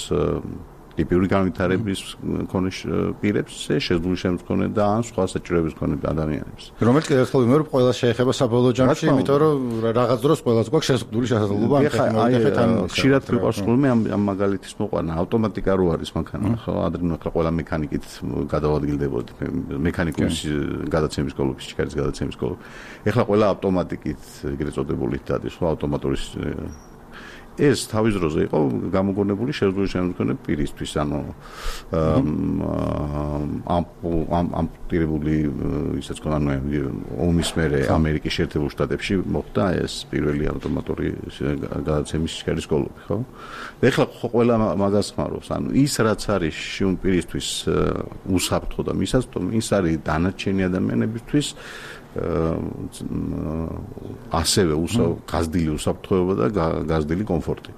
ტიპური განვითარების მქონე პირებს, შეძლული შემდგომი და ან სხვა საჭიროების მქონე ადამიანებს. რომელიც კიდევ ერთხელ ვიმეორებ, ყველა შეეხება საბოლოო ჯამში, იმიტომ რომ რაღაც დროს ყველას გვაქვს შეზღუდული შესაძლებლობა ამ ტექნოლოგიებთან. ხშირად ვიყავს ხოლმე ამ მაგალითის მოყვანა, ავტომატიკა რო არის მანქანა, ხო, ადრინდელ ყველა მექანიკით გადავადგილდებოდი, მექანიკუმის გადაცემის სკოლებში, ჩიქარის გადაცემის სკოლებში. ეხლა ყველა ავტომატიკით ეგრეთ წოდებული დადის, ხო, ავტომატური ეს თავის დროზე იყო გამოგონებული შეზღუდული შემდგომი პირისთვის, ანუ ამპუტირებული ისაც კონანო ომის მერე ამერიკის შეერთებულ შტატებში მოხდა ეს პირველი ავტომატური გადაცემის სქერის სკოლები, ხო? ეხლა ყველა მაგას ხმარობს, ანუ ის რაც არის შიუმ პირისთვის უსაფრთხო და მისაწვდომი, ის არის დანარჩენი ადამიანებისთვის ასევე გაზრდილი უსაფრთხოება და გაზრდილი კომფორტი.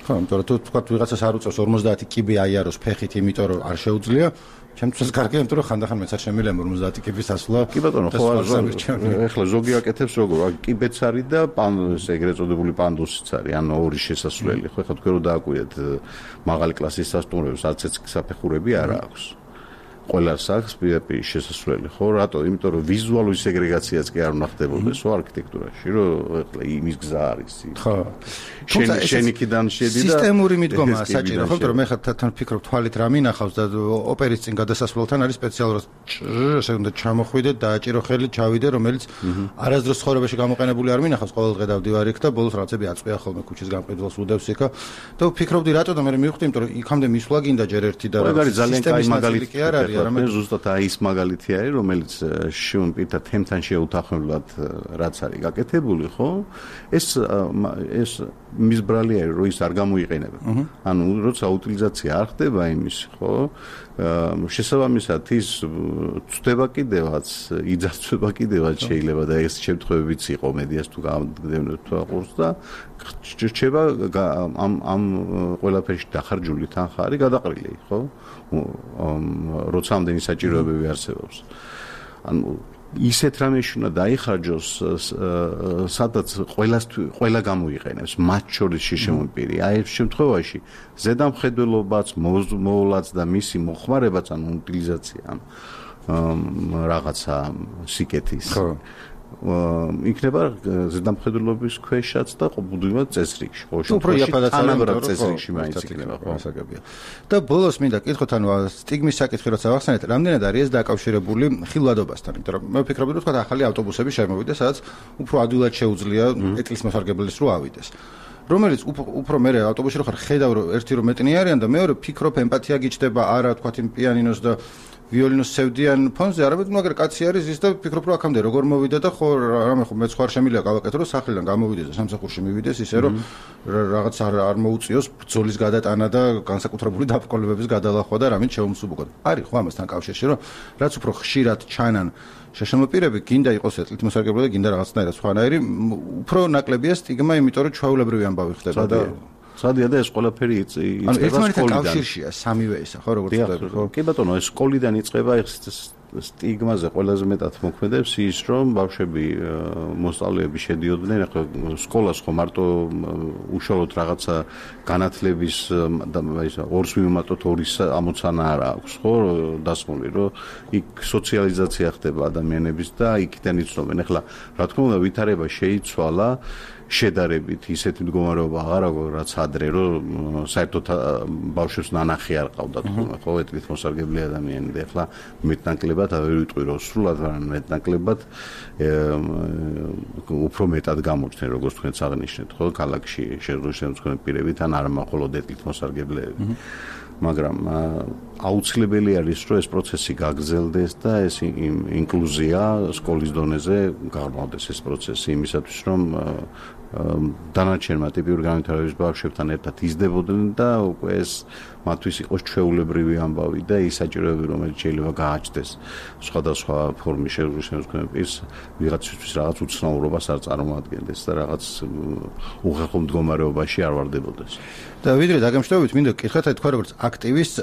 ხო, იმიტომ რომ თუ თქვათ ვიღაცას არ უწევს 50 კიბი აიაროს ფეხით, იმიტომ რომ არ შეუძლია, ჩემთვის კარგია, იმიტომ რომ ხანდახან მეც არ შემიძლია 50 კიბის ასვლა. კი ბატონო, ხო, ეხლა ზოგი აკეთებს როგორ, კიბეც არის და ეგრეთ წოდებული პანდუსიც არის, ანუ ორი შესასვლელი, ხო, ეხლა თქვენ რომ დააკვირდეთ მაღალი კლასის სასტუმროებს, არც ერთ საფეხურები არ აქვს. ყველას აქვს პირდაპირ შესასვლელი, ხო? რატო? იმიტომ რომ ვიზუალური სეგრეგაციაც კი არ უნდა ხდებოდეს, ხო, არქიტექტურაში, რომ ეხლა იმის გზა არის. ხო. შენიკიდან შედი და სისტემური მიდგომაა საჭირო, ხო, იმიტომ რომ მე ხათან ფიქრობ თვალით რა მინახავს და ოპერის წინ გადასასვლელთან არის სპეციალურად ესე უნდა ჩამოხვიდე, დააჭირო ხელი, ჩავიდე, რომელიც არასდროს ცხოვრებაში გამოყენებული არ მინახავს, ყოველ დღე დავდივარ იქ და ბოლოს რაღაცები აწყვია ხოლმე ქუჩის გამყიდველს უდევს იქა და ვფიქრობდი რატო და მე მივხვდი, იმიტომ რომ იქამდე მისვლა გინდა ჯერ ერთი და ძალიან კაი მაგალითი კი არ არის. მე ზუსტად ის მაგალითი არის, რომელიც შიუმ პირთა თემთან შეუთანხმებლად რაც არის გაკეთებული, ხო? ეს მის ბრალი არის, რომ ის არ გამოიყენება. ანუ როცა უტილიზაცია არ ხდება იმის, ხო? შესაბამისად ის ცდება კიდევაც, იძახება კიდევაც შეიძლება და ეს შემთხვევებიც იყო მედიას თუ გამოგდევნოთ თუ აყურს და რჩება ამ ყველაფერში დახარჯული თანხარი გადაყრილი, ხო? როცა ამდენი საჭიროებები არსებობს. ანუ ისეთ რამეში უნდა დაიხარჯოს, სადაც ყველა გამოიყენებს, მათ შორის შეშემოპირი. აი ეს შემთხვევაში ზედამხედველობაც, მოვლაც და მისი მოხმარებაც, ანუ უტილიზაცია რაღაცა სიკეთის. ხო. იქნება ზედამხედველობის ქვეშაც და ყოველდღიურად წესრიგში. ხო, თანაბრად წესრიგში მაინც იქნება, ხო, ასაგებია. და ბოლოს მინდა კითხოთ, ანუ სტიგმის საკითხი როცა ვახსენეთ, რამდენად არის ეს დაკავშირებული ხილვადობასთან, იმიტომ რომ მე ვფიქრობდი, რომ თქვა ახალი ავტობუსები შემოვიდეს, სადაც უფრო ადვილად შეუძლია ეტლის მოსარგებლის რო ავიდეს. რომელიც უფრო მე ავტობუსში რო ხარ, ხედავ რომ ერთი რომ მეტნი არიან და მეორე ვფიქრობ ემპათია გიჩნდება, არა თქვა იმ პიანინოს და ვიოლინოს სევდიან ფონზე, არამედ მაგრამ კაცი არის ის და ვფიქრობ რომ აქამდე როგორ მოვიდა და ხო რამე ხო მეც ხარ შემიძლია გავაკეთო რომ სახლიდან გამოვიდეს და სამსახურში მივიდეს ისე რომ რაღაც არ მოუწიოს ბრძოლის გადატანა და განსაკუთრებული დაბრკოლებების გადალახვა და რამე შეუმსუბუქოთ. არის ხო ამასთან კავშირში რომ რაც უფრო ხშირად ჩანან შეშემოპირები, გინდა იყოს ეტლით მოსარგებლე და გინდა რაღაცნაირად სხვანაირი, უფრო ნაკლებია სტიგმა, იმიტომ რომ ჩვეულებრივი ამბავი ხდება და სადია და ეს ყველაფერი იწყება სკოლიდან. კავშირშია სამივე ისა, ხო, როგორც ვთქვი, ხო? კი ბატონო, ეს სკოლიდან იწყება, ეს სტიგმაზე ყველაზე მეტად მოქმედებს ის, რომ ბავშვები მოსწავლეები შედიოდნენ, ახლა სკოლას ხო მარტო უშუალოდ რაღაცა განათლების და ისა ორს მიმატოთ ორის ამოცანა არ აქვს, ხო, დასმული, რომ იქ სოციალიზაცია ხდება ადამიანების და იქიდან იცნობენ. ახლა რა თქმა უნდა ვითარება შეიცვალა შედარებით ისეთი მდგომარეობა აღარ აქვს რაც ადრე რომ საერთოდ ბავშვებს ნანახი არ ყავდა თქო ხო ეტლით მოსარგებლე ადამიანები ახლა მეტნაკლებად ვერ ვიტყვი რომ სრულად არ მეტნაკლებად უფრო მეტად გამოჩნდნენ როგორც თქვენც აღნიშნეთ ხო ქალაქში შეზღუდული პირებით ან არ მხოლოდ ეტლით მოსარგებლეები მაგრამ აუცილებელი არის რომ ეს პროცესი გაგრძელდეს და ეს ინკლუზია სკოლის დონეზე გაღრმავდეს ეს პროცესი იმისათვის რომ დანარჩენმა ტიპური განვითარების ბავშვებთან ერთად იზრდებოდნენ და უკვე ეს მათთვის იყოს ჩვეულებრივი ამბავი და ის საჭიროებები რომელიც შეიძლება გააჩნდეს სხვადასხვა ფორმის შეზღუდული პირს ვიღაცისთვის რაღაც უცნაურობას არ წარმოადგენდეს და რაღაც უხერხო მდგომარეობაში არ ვარდებოდეს და ვიდრე დაგემშვიდობით მინდა გკითხოთ თქვა როგორც აქტივისტს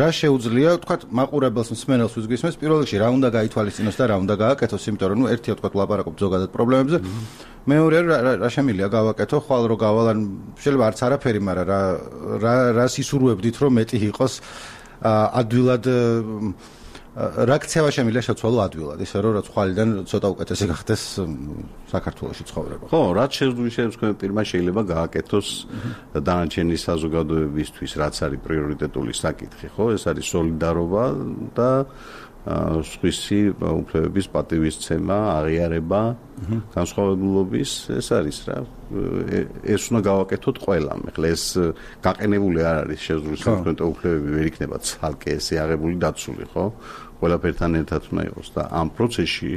რა შეუძლია თქვა მაყურებელს მსმენელს ვიზგვისმეს პირველ რიგში რა უნდა გაითვალისწინოს და რა უნდა გააკეთოს იმიტომ რომ ერთია თქვა ლაპარაკობ ზოგადად პრობლემებზე მეორე რა შემიძლია გავაკეთო ხვალ რო გავალან შეიძლება არც არაფერი მაგრამ რა სისურვებდით რომ მეტი იყოს ადვილად რა ქცევა შემიძლია შეცვალო ადვილად ისე რომ ხვალიდან ცოტა უკეთესი გახდეს საქართველოში ცხოვრება ხო რაც შეგვიძლია პირმა შეიძლება გააკეთოს დანარჩენი საზოგადოებისთვის რაც არის პრიორიტეტული საკითხი ხო ეს არის სოლიდარობა და სხვისი უფლებების პატივისცემა, აღიარება, განსხვავებულობის, ეს არის რა. ეს უნდა გავაკეთოთ ყველამ. ეხლა ეს გაყენებული არ არის შეზღუდული სამართლებრივი უფლებები ვერ იქნება ცალკე ესე აღებული დაცული, ხო? ყველაფერთან ერთად უნდა იყოს და ამ პროცესში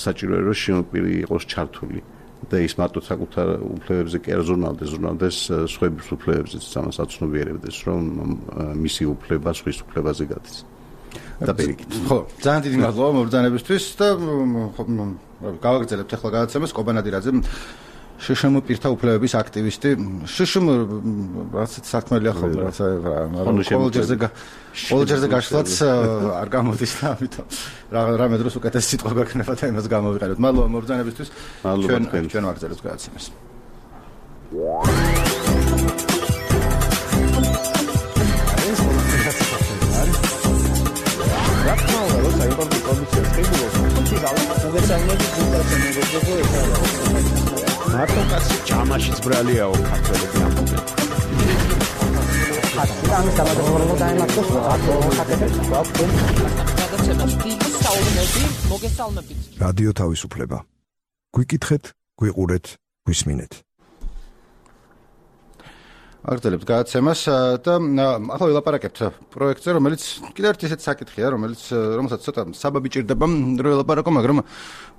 საჭიროა რომ შემოპირი იყოს ჩართული. და ის მარტო საკუთარ უფლებებზე კი არ ზრუნავდეს სხვების უფლებებზეც ამას აცნობიერებდეს რომ მისი უფლება სხვის უფლებაზე გადის და პირიქით. ხო, ძალიან დიდი მადლობა მობრძანებისთვის და გავაგრძელებთ ახლა გადაცემას კობანადირაძე შშმ პირთა უფლებების აქტივისტი. შშმ რასაც საქმეა ხოლმე რაცა ყოველჯერზე გაშლაც არ გამოდის და ამიტომ რამე დროს უკეთეს სიტყვა გვექნება და იმას გამოვიყენებთ. მადლობა მობრძანებისთვის. ჩვენ ვაგრძელებთ გადაცემას. მარტო კაცი ჯამაშიც ბრალიაო ქართველები ამბობენ. ამის გამოდავალება დაემართოს რადიო თავისუფლება. გვიკითხეთ, გვიყურეთ, გვისმინეთ. აგრძელებთ გადაცემას და ახლა ვილაპარაკებთ პროექტზე, რომელიც კიდევ ერთ ისეთ საკითხია, რომელსაც ცოტა საბაბი ჭირდება რომ ვილაპარაკო, მაგრამ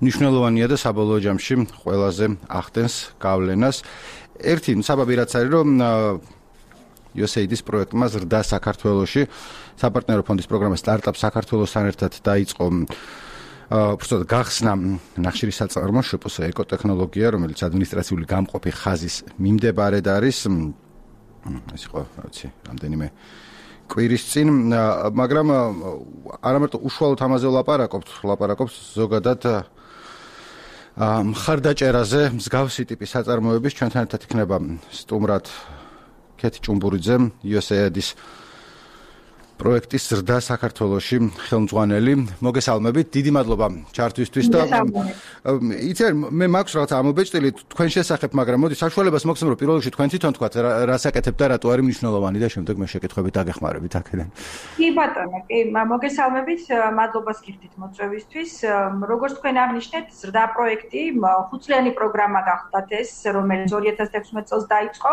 მნიშვნელოვანია და საბოლოო ჯამში ყველაზე ახდენს გავლენას. ერთი საბაბი რაც არის, რომ USAID-ის პროექტმა ზრდა საქართველოში საპარტნიორო ფონდის პროგრამა სტარტაპ საქართველოსთან ერთად დაიწყო უბრალოდ გახსნა ნახშირის საწარმო შვპს ეკოტექნოლოგია, რომელიც ადმინისტრაციული გამყოფი ხაზის მიმდებარედ არის. ეს იყო, რა ვიცი, რამდენიმე კვირის წინ, მაგრამ არამარტო უშუალოდ ამაზე ვლაპარაკობთ ზოგადად მხარდაჭერაზე მსგავსი ტიპის საწარმოების ჩვენთან ერთად იქნება სტუმრად ქეთი ჭუმბურიძე, USAID-ის პროექტის ზრდა საქართველოში ხელმძღვანელი. მოგესალმებით, დიდი მადლობა ჩართვისთვის და იცი მე მაქვს რაღაც ამობეჭდილი თქვენ შესახებ, მაგრამ მოდი საშუალებას მოგცემ რომ პირველ რიგში თქვენ თვითონ თქვათ რა საკეთებთ და რატო არის მნიშვნელოვანი და შემდეგ მე შეკითხვებით დაგეხმარებით აქედან. კი ბატონო, კი, მოგესალმებით, მადლობას გიხდით მოწვევისთვის. როგორც თქვენ აღნიშნეთ, ზრდა პროექტი ხუთწლიანი პროგრამა გახლავთ ეს, რომელიც 2016 წელს დაიწყო.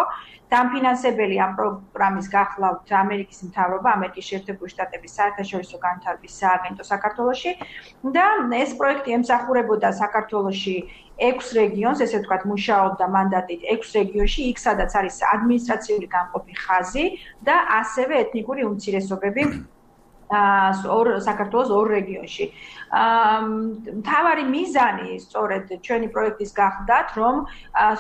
დამფინანსებელი ამ პროგრამის გახლავთ ამერიკის მთავრობა, ამერიკის შეერთებული შტატების საერთაშორისო განვითარების სააგენტო საქართველოში და ეს პროექტი ემსახურებოდა საქართველოში 6 რეგიონს, ესე ვთქვათ, მუშაობდა მანდატით 6 რეგიონში, იქ სადაც არის ადმინისტრაციული გამყოფი ხაზი და ასევე ეთნიკური უმცირესობები საქართველოს 2 რეგიონში. მთავარი მიზანი სწორედ ჩვენი პროექტის გახლდათ, რომ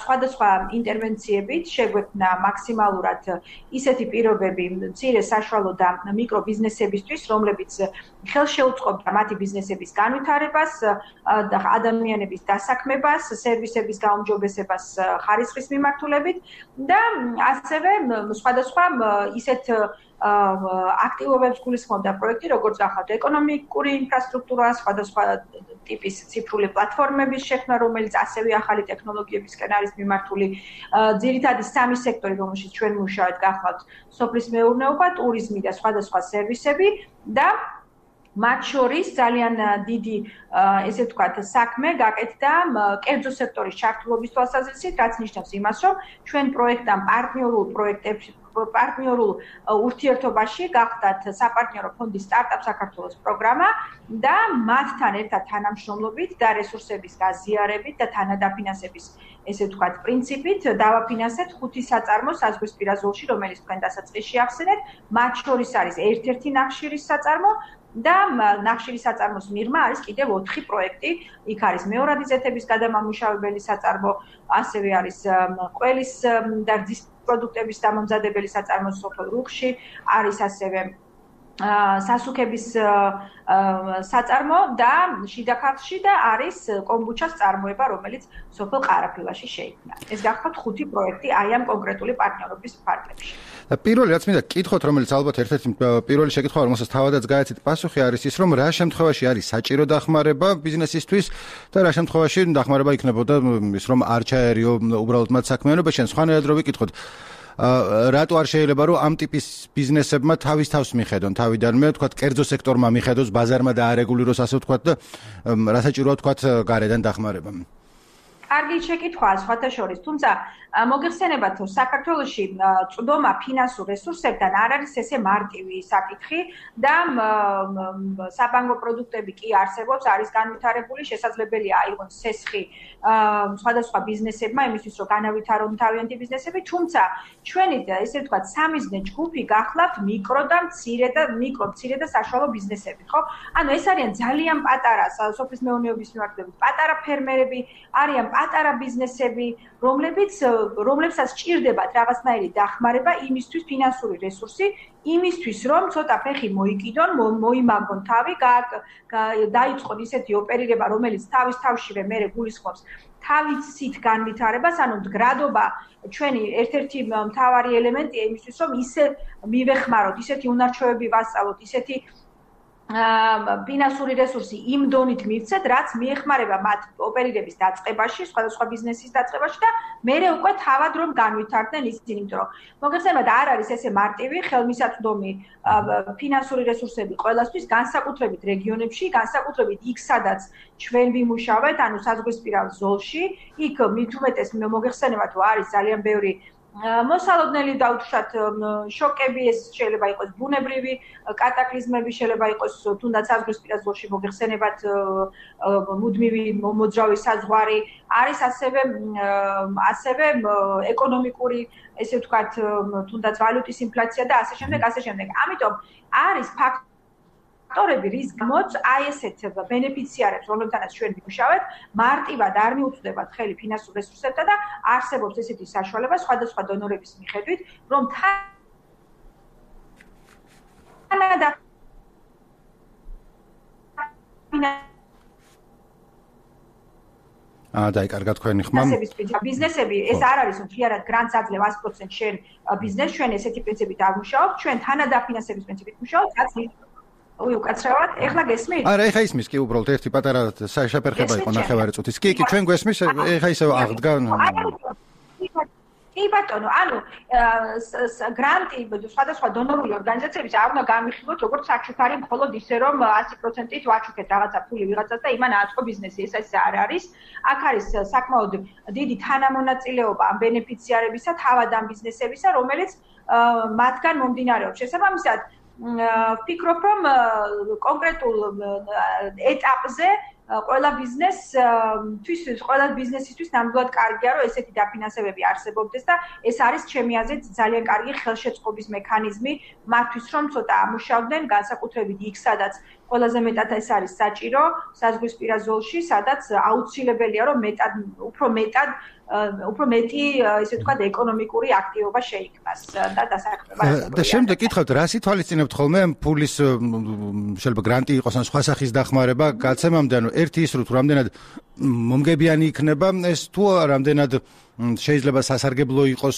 სხვადასხვა ინტერვენციებით შეგვექმნა მაქსიმალურად ისეთი პირობები მცირე საშუალო და მიკრო ბიზნესებისთვის, რომლებიც ხელშეუწყობდა მათი ბიზნესების განვითარებას და ადამიანების დასაქმებას, სერვისების გაუმჯობესებას ხარისხის მიმართულებით და ასევე სხვადასხვა ისეთ აქტივობებს გულისხმობდა პროექტი, როგორც გახლავთ ეკონომიკური ინფრასტრუქტურა, სხვადასხვა ტიპის ციფრული პლატფორმების შექმნა, რომელიც ასევე ახალი ტექნოლოგიებისკენ არის მიმართული. ძირითადი 3 სექტორი, რომელშიც ჩვენ მუშაობთ, გახლავთ სოფლის მეურნეობა, ტურიზმი და სხვადასხვა სერვისები და მათ შორის ძალიან დიდი, ესე ვთქვათ, საქმე გაკეთდა კერძო სექტორის ჩართულობის თვალსაზრისით, რაც ნიშნავს იმას, რომ ჩვენ პროექტამ პარტნიორულ ურთიერთობაში გახდათ საპარტნიორო ფონდის სტარტაპ საქართველოს პროგრამა და მათთან ერთად თანამშრომლობით და რესურსების გაზიარებით და თანადაფინანსების, ესე ვთქვათ, პრინციპით დავაფინანსეთ 5 საწარმო საზღვრისპირა ზოლში, რომელიც თქვენ დასაწყისში ახსენეთ. მათ შორის არის ერთ-ერთი ნახშირის საწარმო და ნახშირის საწარმოს მიღმა არის კიდევ 4 პროექტი. იქ არის მეორადი ზეთების გადამამუშავებელი საწარმო, ასევე არის ყველის და რძის პროდუქტების დამამზადებელი საწარმო სოფელ რუხში, არის ასევე სასუქების საწარმო და შიდა ქართლში და არის კომბუჩას წარმოება, რომელიც სოფელ ყარაფილაში შეიქმნა. ეს გახლავთ 5 პროექტი აი ამ კონკრეტული პარტნიორობის ფარგლებში. პირველი რაც მინდა გკითხოთ, რომელიც ალბათ ერთ-ერთი პირველი შეკითხვა, რომელსაც თავადაც გაეცით პასუხი არის ის, რომ რა შემთხვევაში არის საჭირო დახმარება ბიზნესისთვის და რა შემთხვევაში დახმარება იქნებოდა ის, რომ არ ჩაერიო უბრალოდ მათ საქმიანობაში, ან სხვანაირად რო ვიკითხოთ. რატო არ შეიძლება რომ ამ ტიპის ბიზნესებმა თავის თავს მიხედონ თავიდანვე, თქვათ, კერძო სექტორმა მიხედოს, ბაზარმა დაარეგულიროს, ასე ვთქვათ და რა საჭიროა თქვათ გარედან დახმარება. კარგი შეკითხვაა სხვათა შორის, თუმცა მოგეხსენებათ, რომ საქართველოში წვდომა ფინანსურ რესურსებთან არ არის ესე მარტივი საკითხი და საბანკო პროდუქტები კი არსებობს, არის განვითარებული, შესაძლებელია აიღონ სესხი სხვადასხვა ბიზნესებმა, იმისთვის რომ განავითარონ თავიანთი ბიზნესები, თუმცა ჩვენი ესე ვთქვათ, სამიზნე ჯგუფი გახლავთ მიკრო და მცირე და საშუალო ბიზნესები, ხო? ანუ ეს არიან ძალიან პატარა სოფლის მეურნეობის მიმართულებით, პატარა ფერმერები, არიან პატარა ბიზნესები, რომლებსაც სჭირდებათ რაღაცნაირი დახმარება იმისთვის ფინანსური რესურსი, იმისთვის რომ ცოტა ფეხი მოიკიდონ, მოიმაგონ თავი, დაიწყონ ისეთი ოპერირება, რომელიც თავის თავშივე მერე გულისხმობს თავისით განვითარებას, ანუ მდგრადობა ჩვენი ერთ-ერთი მთავარი ელემენტია იმისთვის, რომ ისე მივეხმაროთ, ისეთი უნარჩვევები ვასწავლოთ, ისეთი ფინანსური რესურსი იმ დონით მივცეთ, რაც მიეხმარება მათ ოპერირების დაწყებაში, სხვადასხვა ბიზნესის დაწყებაში და მერე უკვე თავად რომ განვითარდნენ ისინი, იმიტომ რომ მოგეხსენებათ, არ არის ესე მარტივი ხელმისაწვდომი ფინანსური რესურსები ყველასთვის, განსაკუთრებით რეგიონებში, განსაკუთრებით იქ, სადაც ჩვენ ვიმუშავეთ, ანუ საზღვრისპირა ზოლში, იქ მით უმეტეს მოგეხსენებათ, რომ არის ძალიან ბევრი მოსალოდნელი და უთხრათ შოკები, ეს შეიძლება იყოს ბუნებრივი კატაკლიზმები, შეიძლება იყოს თუნდაც საზღვრისპირა ზოლში მოგეხსენებათ მუდმივი მოძრავი საზღვარი, არის ასევე ეკონომიკური, ესე ვთქვათ, თუნდაც ვალუტის ინფლაცია და ასე შემდეგ. ამიტომ არის ფაქტორები, რის გამოც აი ესეთ ბენეფიციარებს, რომლებთანაც ჩვენ ვიმუშავეთ, მარტივად არ მიუწვდებათ ხელი ფინანსურ რესურსებთან და არსებობს ესეთი საშუალება სხვადასხვა დონორების მიხედვით, რომ დაიკარგა თქვენი ხმა. ბიზნესები ეს არ არის, რომ ფიარად გრანტს აძლევ 100% შენ ბიზნესს, ჩვენ ესეთი პრინციპით არ ვმუშაობთ, ჩვენ თანადაფინანსების პრინციპით ვმუშაობთ, რაც უკაცრავად, ეხლა გესმით? არა, ეხლა ისმის კი უბრალოდ ერთი პატარა შეფერხება იყო ნახევარი წუთის. კი, ჩვენ გვესმის, ეხლა ისევ აღდგა. კი ბატონო, ანუ გრანტი სხვადასხვა დონორული ორგანიზაციების არ უნდა განვიხილოთ როგორც საჩუქარი მხოლოდ ისე რომ 100%-ით ვაჩუქეთ რაღაცა ფული ვიღაცას და იმან აწყო ბიზნესი. ეს არ არის. აქ არის საკმაოდ დიდი თანამონაწილეობა ამ ბენეფიციარებისა, თავად ამ ბიზნესებისა, რომელიც მათგან მომდინარეობს. შესაბამისად, ვფიქრობ, რომ კონკრეტულ ეტაპზე ყველა ბიზნესისთვის ნამდვილად კარგია, რომ ესეთი დაფინანსებები არსებობდეს და ეს არის ჩემი აზრით ძალიან კარგი ხელშეწყობის მექანიზმი მათთვის, რომ ცოტა ამუშავდნენ, განსაკუთრებით იქ, სადაც ყველაზე მეტად ეს არის საჭირო, საზღვრისპირა ზოლში, სადაც აუცილებელია, რომ უფრო მეტი, ესე ვთქვათ, ეკონომიკური აქტივობა შეიქმნას და დასაქმება. და შემდეგ კითხავთ, რას ითვალისწინებთ ხოლმე ფულის შეიძლება გრანტი იყოს ან სხვა სახის დახმარება გაცემამდე, ანუ ერთი ის რომ თუ რამდენად მომგებიანი იქნება ეს თუ რამდენად შეიძლება სასარგებლო იყოს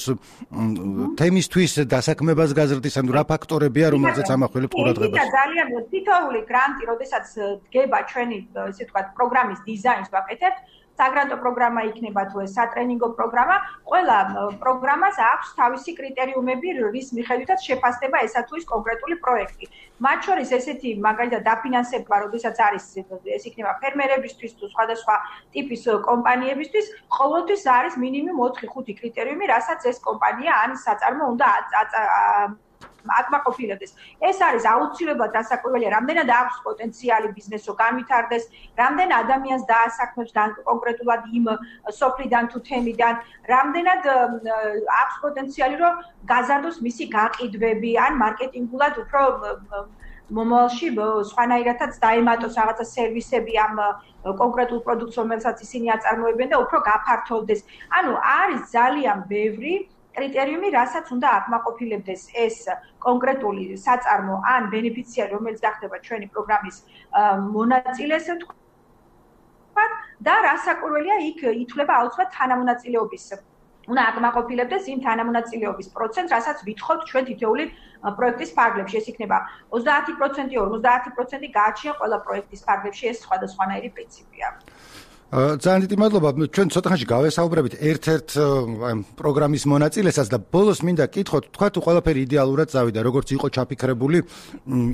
თემისთვის დასაქმებას გაზრდის, ანუ რა ფაქტორებია, რომელზეც ამახვილებთ ყურადღებას. ძალიან თითოეული გრანტი, როდესაც დგება ჩვენი, ესე ვთქვათ, პროგრამის დიზაინს ვაკეთებთ, საგრანტო პროგრამა იქნება თუ ეს სატრენინგო პროგრამა, ყველა პროგრამას აქვს თავისი კრიტერიუმები, რის მიხედვითაც შეფასდება ესა თუ ის კონკრეტული პროექტი. მათ შორის ესეთი მაგალითად დაფინანსება, როდესაც არის ეს იქნება ფერმერებისთვის თუ სხვადასხვა ტიპის კომპანიებისთვის, ყოველთვის არის მინიმუმ 4-5 კრიტერიუმი, რასაც ეს კომპანია ან საწარმო უნდა აკმაყოფილებდეს. ეს არის აუცილებლად დასაკვირველია, რამდენად აქვს პოტენციალი ბიზნესო განვითარდეს, რამდენ ადამიანს დაასაქმებს კონკრეტულად იმ სოფლიდან თუ თემიდან, რამდენად აქვს პოტენციალი, რომ გაზარდოს მისი გაყიდვები, ან მარკეტინგულად უფრო მომავალში სხვანაირადაც დაემატოს რაღაცა სერვისები ამ კონკრეტულ პროდუქტს, რომელსაც ისინი აწარმოებენ და უფრო გაფართოვდეს. ანუ არის ძალიან ბევრი კრიტერიუმი, რასაც უნდა აკმაყოფილებდეს ეს კონკრეტული საწარმო ან ბენეფიციარი, რომელიც გახდება ჩვენი პროგრამის მონაწილე, ესე ვთქვათ, და რასაკვირველია, იქ ითვლება აუცილებლად თანამონაწილეობის. უნდა აკმაყოფილებდეს იმ თანამონაწილეობის პროცენტს, რასაც ვითხოვთ ჩვენ თითოეული პროექტის ფარგლებში. ეს იქნება 30%, 50% გააჩნია ყველა პროექტის ფარგლებში, ეს სხვადასხვანაირი პრინციპია. ძალიან დიდი მადლობა. ჩვენ ცოტა ხანში გავესაუბრებით ერთ-ერთ პროგრამის მონაწილესაც და ბოლოს მინდა კითხოთ, თქვა თუ ყველაფერი იდეალურად წავიდა, როგორც იყო ჩაფიქრებული,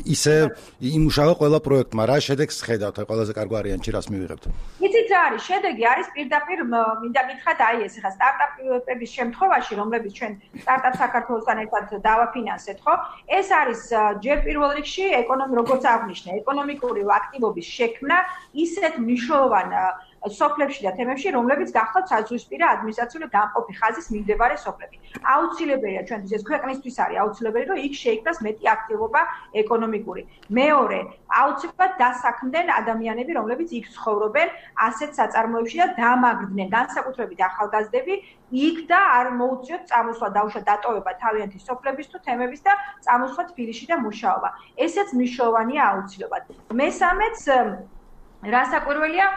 ისე იმუშავა ყველა პროექტმა. რა შედეგს ხედავთ, ყველაზე კარგი ვარიანტი რას მივიღებთ? იცით რა არის? შედეგი არის პირდაპირ მინდა გითხრათ, აი ეს ხა სტარტაპების შემთხვევაში, რომლებიც ჩვენ სტარტაპ საქართველოსთან ერთად დავაფინანსეთ, ხო? ეს არის ჯერ პირველ რიგში როგორც აღნიშნე, ეკონომიკური აქტივობის შექმნა ისეთ მნიშვნელოვან სოფლებში და თემებში, რომლებიც გახლავთ საზღვისპირა ადმინისტრაციული გამყოფი ხაზის მიმდებარე სოფლები. აუცილებელია ჩვენთვის ეს ქვეყნისთვის არის აუცილებელი, რომ იქ შეიქმნას მეტი აქტივობა ეკონომიკური. მეორე, აუცილებლად დასაქმდნენ ადამიანები, რომლებიც იქ ცხოვრობენ ასეთ საწარმოებში და დამაგრდნენ, განსაკუთრებით ახალგაზრდები, იქ და არ მოუწიოთ წამოსვლა დაუშვათ დატოვება თავიანთი სოფლების თუ თემების და წამოსვლა თბილისში და მუშაობა. ესეც მნიშვნელოვანია აუცილებლად. მესამეც რასაკვირველია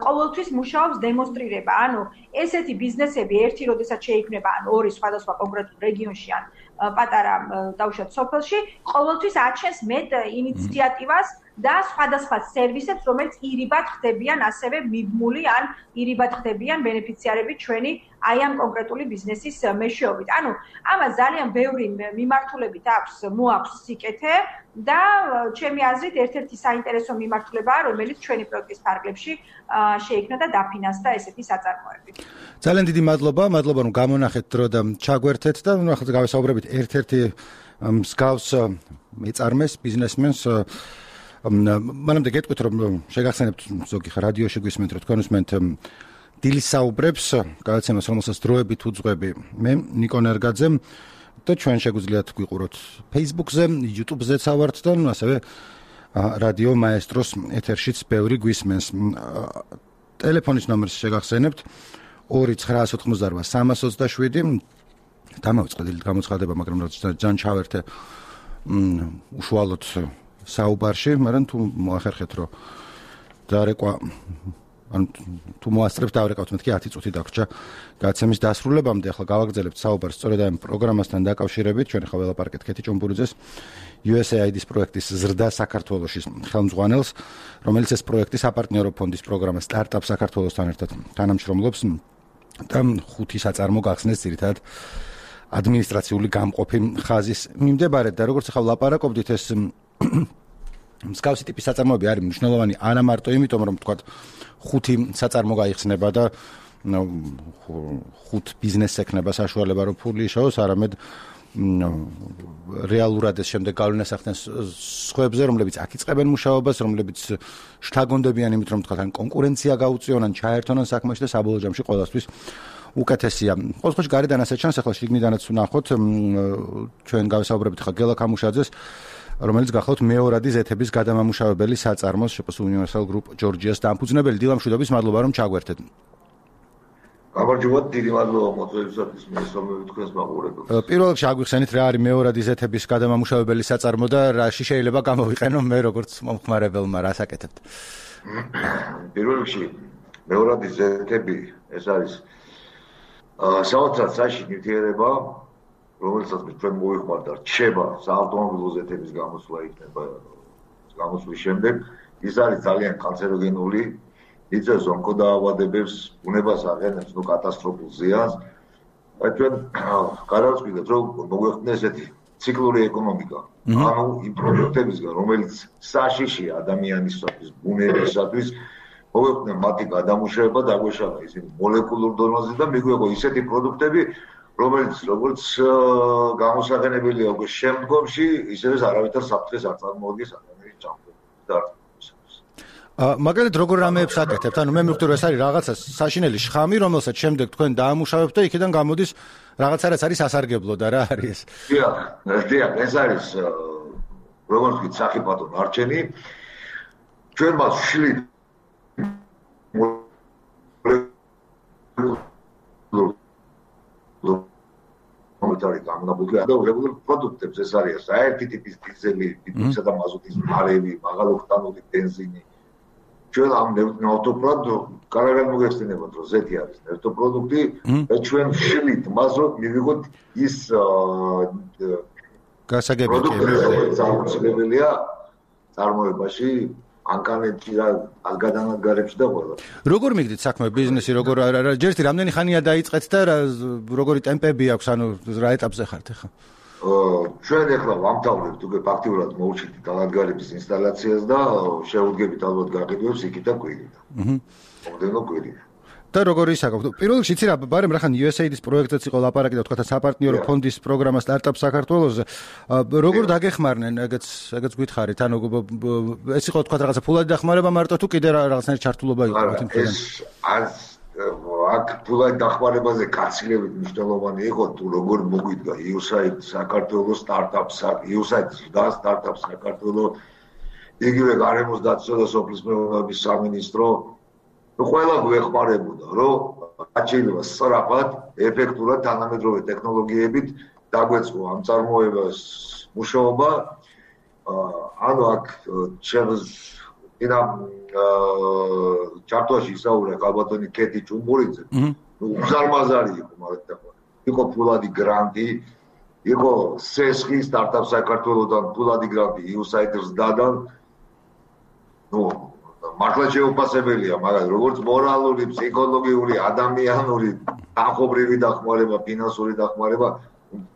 ყოველთვის მუშაობს დემონსტრირება, ანუ ესეთი ბიზნესები ერთი როდესაც შეიქმნება, ან ორი სხვადასხვა კონკრეტულ რეგიონში ან პატარა დაუშვათ სოფელში, ყოველთვის აჩენს მეტ ინიციატივას და სხვადასხვა სერვისებს, რომელიც ირიბად ხდებიან ასევე მიბმული ან ირიბად ხდებიან ბენეფიციარები ჩვენი აი ამ კონკრეტული ბიზნესის მეშვეობით. ანუ ამას ძალიან ბევრი მიმართულებით მოაქვს სიკეთე და ჩემი აზრით ერთ-ერთი საინტერესო მიმართულებაა, რომელიც ჩვენი პროექტის ფარგლებში შეიქმნა და დაფინანსდა ესეთი საწარმოები. ძალიან დიდი მადლობა, რომ გამონახეთ დრო და ჩაგვერთეთ და ახლა გავესაუბრებით ერთ-ერთი მსგავს მეწარმეს, ბიზნესმენს. მანამდე გეტყვით, რომ შეგახსენებთ ზოგი რადიოში გვისმენთ, რომ თქვენ უსმენთ დილის საუბრებს, გადაცემას, რომელსაც დროებით უძღვები მე, ნიკონ ერგაძე და ჩვენ შეგვიძლიათ გვიყუროთ Facebook-ზე, YouTube-ზეც ავართ და ასევე რადიო მაესტროს ეთერშიც ბევრი გვისმენს. ტელეფონის ნომერს შეგახსენებთ 2988327. დამავიწყე გამოცხადება, მაგრამ რაც ძალიან ჩავერთე უშუალოდ საუბარში, მაგრამ თუ მოახერხეთ, რომ დარეკვა ან თუ მოასწრებთ დავრეკავთ მეთქი 10 წუთი დაგრჩა გადაცემის დასრულებამდე. ახლა გავაგრძელებთ საუბარს სწორედ ამ პროგრამასთან დაკავშირებით. ჩვენ ახლა ველაპარაკეთ კეთი ჭომბურიძეს, USAID-ის პროექტის ზრდა საქართველოში ხელმძღვანელს, რომელიც ეს პროექტი საპარტნიორო ფონდის პროგრამა სტარტაპ საქართველოსთან ერთად თანამშრომლობს და 5 საწარმო გახსნეს ძირითადად ადმინისტრაციული გამყოფი ხაზის მიმდებარედ. და როგორც ახლა ვლაპარაკობდით, ეს მსგავსი ტიპის საწარმოები არის მნიშვნელოვანი არა მარტო იმიტომ, რომ თქვა 5 საწარმო გაიხსნება და 5 ბიზნესს ექნება საშუალება, რომ ფული იშოვოს, არამედ რეალურად ეს შემდეგ გავლენას ახდენს სხვებზე, რომლებიც აქ იწყებენ მუშაობას, რომლებიც შთაგონდებიან იმით, რომ თქვა ან კონკურენცია გაუწიონ, ან ჩაერთონან საქმეში და საბოლოო ჯამში ყველასთვის უკეთესია. ყოველ შემთხვევაში გარედან ასე ჩანს, ახლა შიგნიდანაც ვნახოთ, ჩვენ გავესაუბრებით ხა გელა კამუშაძეს, რომელიც გახლავთ მეორადი ზეთების გადამამუშავებელი საწარმოს შპს Universal Group Georgia-ს დამფუძნებელი. დილა მშვიდობის, მადლობა რომ ჩაგვერთეთ. გამარჯობათ, დიდი მადლობა მოწვევისათვის, მესამე თქვენს მაყურებელს. პირველ რიგში აგვიხსენით რა არის მეორადი ზეთების გადამამუშავებელი საწარმო და რაში შეიძლება გამოვიყენო მე როგორც მომხმარებელმა, რას აკეთებთ? პირველ რიგში მეორადი ზეთები ეს არის საოცრად საშინი ნივთიერება, რომელსაც ჩვენ მოვიხმართ და რჩება საავტომობილო ზეთების გამოსვლა იქნება გამოსვლის შემდეგ. ის არის ძალიან კანცეროგენული, იწვევს ონკოდაავადებებს, ბუნებას აყენებს კატასტროფულ ზიანს. ჩვენ გადავწყვიტეთ, რომ მოგვეხსნეს ესეთი ციკლური ეკონომიკა. ანუ იმ პროდუქტებისგან, რომელიც საშიშია ადამიანისათვის, ბუნებისათვის, მოგვეხსნეს მათი გადამუშავება, დაგვეშალა ისინი მოლეკულურ დონეზე და მიგვიღო ისეთი პროდუქტები, რომელიც როგორც გამოსაყენებელია უკვე შემდგომში, ისევე არავითარ საფრთხეს არ წარმოადგენს ადამიანის ჯანმრთელობას და მაგალითად როგორ რამეებს აკეთებთ? ანუ მე მივხვდი რომ ეს არის რაღაცა საშინელი შხამი, რომელსაც შემდეგ თქვენ დაამუშავებთ და იქიდან გამოდის რაღაცა რაც არის სასარგებლო და რა არის ეს? დიახ, ეს არის როგორც ვთქვით, სახიფათო ნარჩენი. ჩვენ მას ვშლით მომეტარი გამონაბუდი და რეგულარულ პროდუქტებს ეს არის საერთი ტიპის დიზელი, ბიტუმისა და მაზოტის მარევი, მაღალოქტანური ბენზინი. ჩვენ ამ ნავთობბრად კარგად მოგეხსენებათ, რომ ზეთი არის ნავთობპროდუქტი და ჩვენ ვშლით მას, რომ მივიღოთ ის გასაგები პროდუქტები, რომელიც აუცილებელია წარმოებაში ანკანეთში რა გადანადგარებში და ყველა. როგორ მიგდით საქმე ბიზნესი, როგორ ჯერ რამდენი ხანია დაიწყეთ და როგორი ტემპები აქვს, ანუ რა ეტაპზე ხართ ახლა? ჩვენ ახლა ვამთავრებთ უკვე ფაქტიურად მოვჩით დანადგარების ინსტალაციას და შევუდგებით ალბათ გაყიდვებს იქით და კვირით. მომდენო კვირით. და როგორ ისაკავთ? პირველ რიგში იცი რა, ბარემ რახან USAID-ის პროექტზეც იყო ლაპარაკი და თქვა საპარტნიორო ფონდის პროგრამა სტარტაპ საქართველოს. როგორ დაგეხმარნენ, ეგეც გითხარით, ანუ ეს იყო თქვა რაღაცა ფულადი დახმარება მარტო თუ კიდე რაღაცნაირი ჩართულობა იყო ამ თემთან? აქ ფულადი დახმარებაზე გაცილებით მნიშვნელოვანი იყო თუ როგორ მოგვიდგა USAID საქართველოს სტარტაპს, USAID და სტარტაპ საქართველოს იგივე გარემოს დაცვა და სოფლის მეურნეობის სამინისტრო ყველა გვეხმარებოდა, რომ აჩვენება სწრაფად, ეფექტურად თანამედროვე ტექნოლოგიებით დაგვეწყო ამ წარმოებას მუშაობა. ანუ აქ ჩარტოში ისაუბრა ალბათონი კეთი ჭუმბურიძე. უზარმაზარი იყო მაგათი. იყო ფულადი გრანტი, იყო სესხი სტარტაპ საქართველოსთან ფულადი გრანტი USAID-ს დადან. მართლა შეუფასებელია, მაგრამ როგორც მორალური, ფსიქოლოგიური, ადამიანური, ახობრივი დახმარება, ფინანსური დახმარება,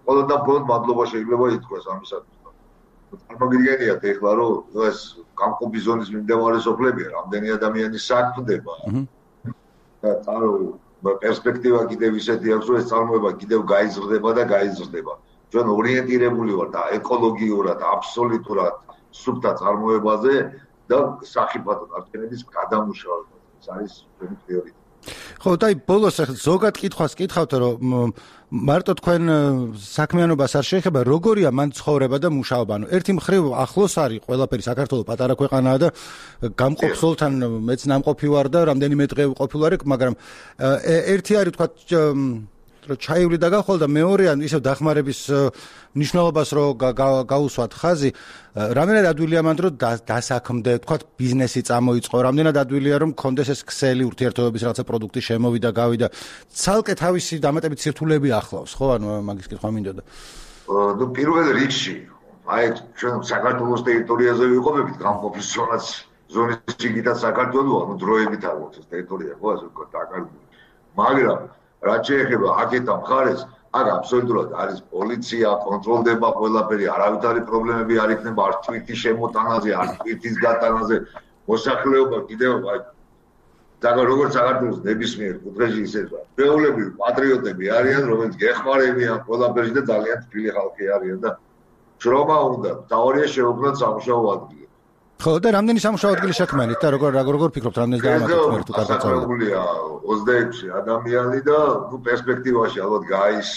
ყველგან ფონდ მადლობა შეიძლება ითქვას ამისათვის. წარმოგიდგენიათ ეხლა რომ ეს გამყოფი ზონის მიმდებარე სოფლებია, რამდენი ადამიანი საქმდება. და პერსპექტივა კიდევ ისეთი აქვს, რომ ეს წარმოება კიდევ გაიზრდება და გაიზრდება. ჩვენ ორიენტირებული ვართ ეკოლოგიურად, აბსოლუტურად სუფთა წარმოებაზე და სახიფათო არჩევნების გადამუშავება. ეს არის ჩვენი პრიორიტეტი. ხო, და ბოლოს ზოგად კითხვას კითხავთ, რომ მარტო თქვენ საქმიანობას არ შეეხება, როგორია მან ცხოვრება და მუშაობა. ანუ ერთი მხრივ ახლოს არის ყველაფერი, საქართველოს პატარა ქვეყანაა და გამყოფ ზოლთან მეც ნამყოფი ვარ და რამდენიმე დღე ყოფილი ვარ, მაგრამ ერთი არის თქვა რომ ჩაივლი და გახვალ და მეორე ან ისევ დახმარების ნიშნულობას რომ გაუსვათ ხაზი, რამდენად ადვილია მანდ რომ დასაქმდე, თქვა ბიზნესი წამოიწყო, რამდენად ადვილია რომ კონდეს ეს ქსელი ურთიერთობების რაღაცა პროდუქტი შემოვიდა, გავიდა, ცალკე თავისი დამატებით სირთულეები ახლავს, ხო, ანუ მაგის კითხვა მინდოდა. ნუ პირველ რიგში, აი ჩვენ საქართველოს ტერიტორიაზე ვიყოფებით გამყოფი ზონის ჩიგიტა საქართველოს, ანუ დროებით არის ეს ტერიტორია, ხო, ასე ვთქვათ, დაკარგული. მაგრამ რაც შეეხება აქეთა მხარეს, აქ აბსოლუტურად არის პოლიცია, კონტროლდება ყველაფერი, არავითარი პრობლემები არ იქნება არც თვითის შემოტანაზე, არც თვითის გატანაზე. მოსახლეობა კიდევ როგორც საქართველოს ნებისმიერ კუთხეში ისევა. ჩვეულებრივი პატრიოტები არიან, რომელიც გეხმარებიან ყველაფერში და ძალიან თბილი ხალხი არიან და შრომა უნდა, თავარია შეუქმნათ სამუშაო ადგილი. ხო, და რამდენი სამუშაო ადგილი შექმნით და როგორ ფიქრობთ, რამდენი დაამატეთ თუ კარგად წავიდა? 26 ადამიანი და პერსპექტივაში ალბათ გაის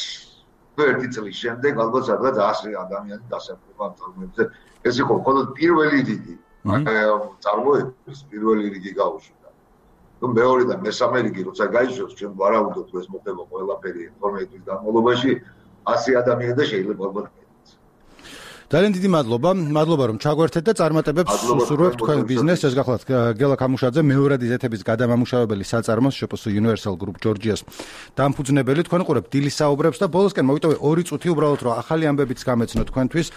ერთი წლის შემდეგ ალბათ სადღაც 100 ადამიანი დასაქმება ამ წარმოებზე. ეს იყო მხოლოდ პირველი რიგი. წარმოების პირველი რიგი გაუშვდა. ნუ მეორე და მესამე რიგი როცა გაიშვებს, ჩვენ ვარაუდობთ, ეს მოხდება ყველაფერი 12 თვის განმავლობაში 100 ადამიანი და შეიძლება ალბათ ძალიან დიდი მადლობა რომ ჩაგვერთეთ და წარმატებებს უსურვებთ თქვენ ბიზნესს. ეს გახლავთ გელა ქამუშაძე, მეორადი ზეთების გადამამუშავებელი საწარმოს შპს Universal Group Georgias დამფუძნებელი. თქვენ ყურებთ დილის საუბრებს და ბოლოსკენ მოვიტოვე 2 წუთი უბრალოდ რომ ახალი ამბებიც გამეცნო თქვენთვის,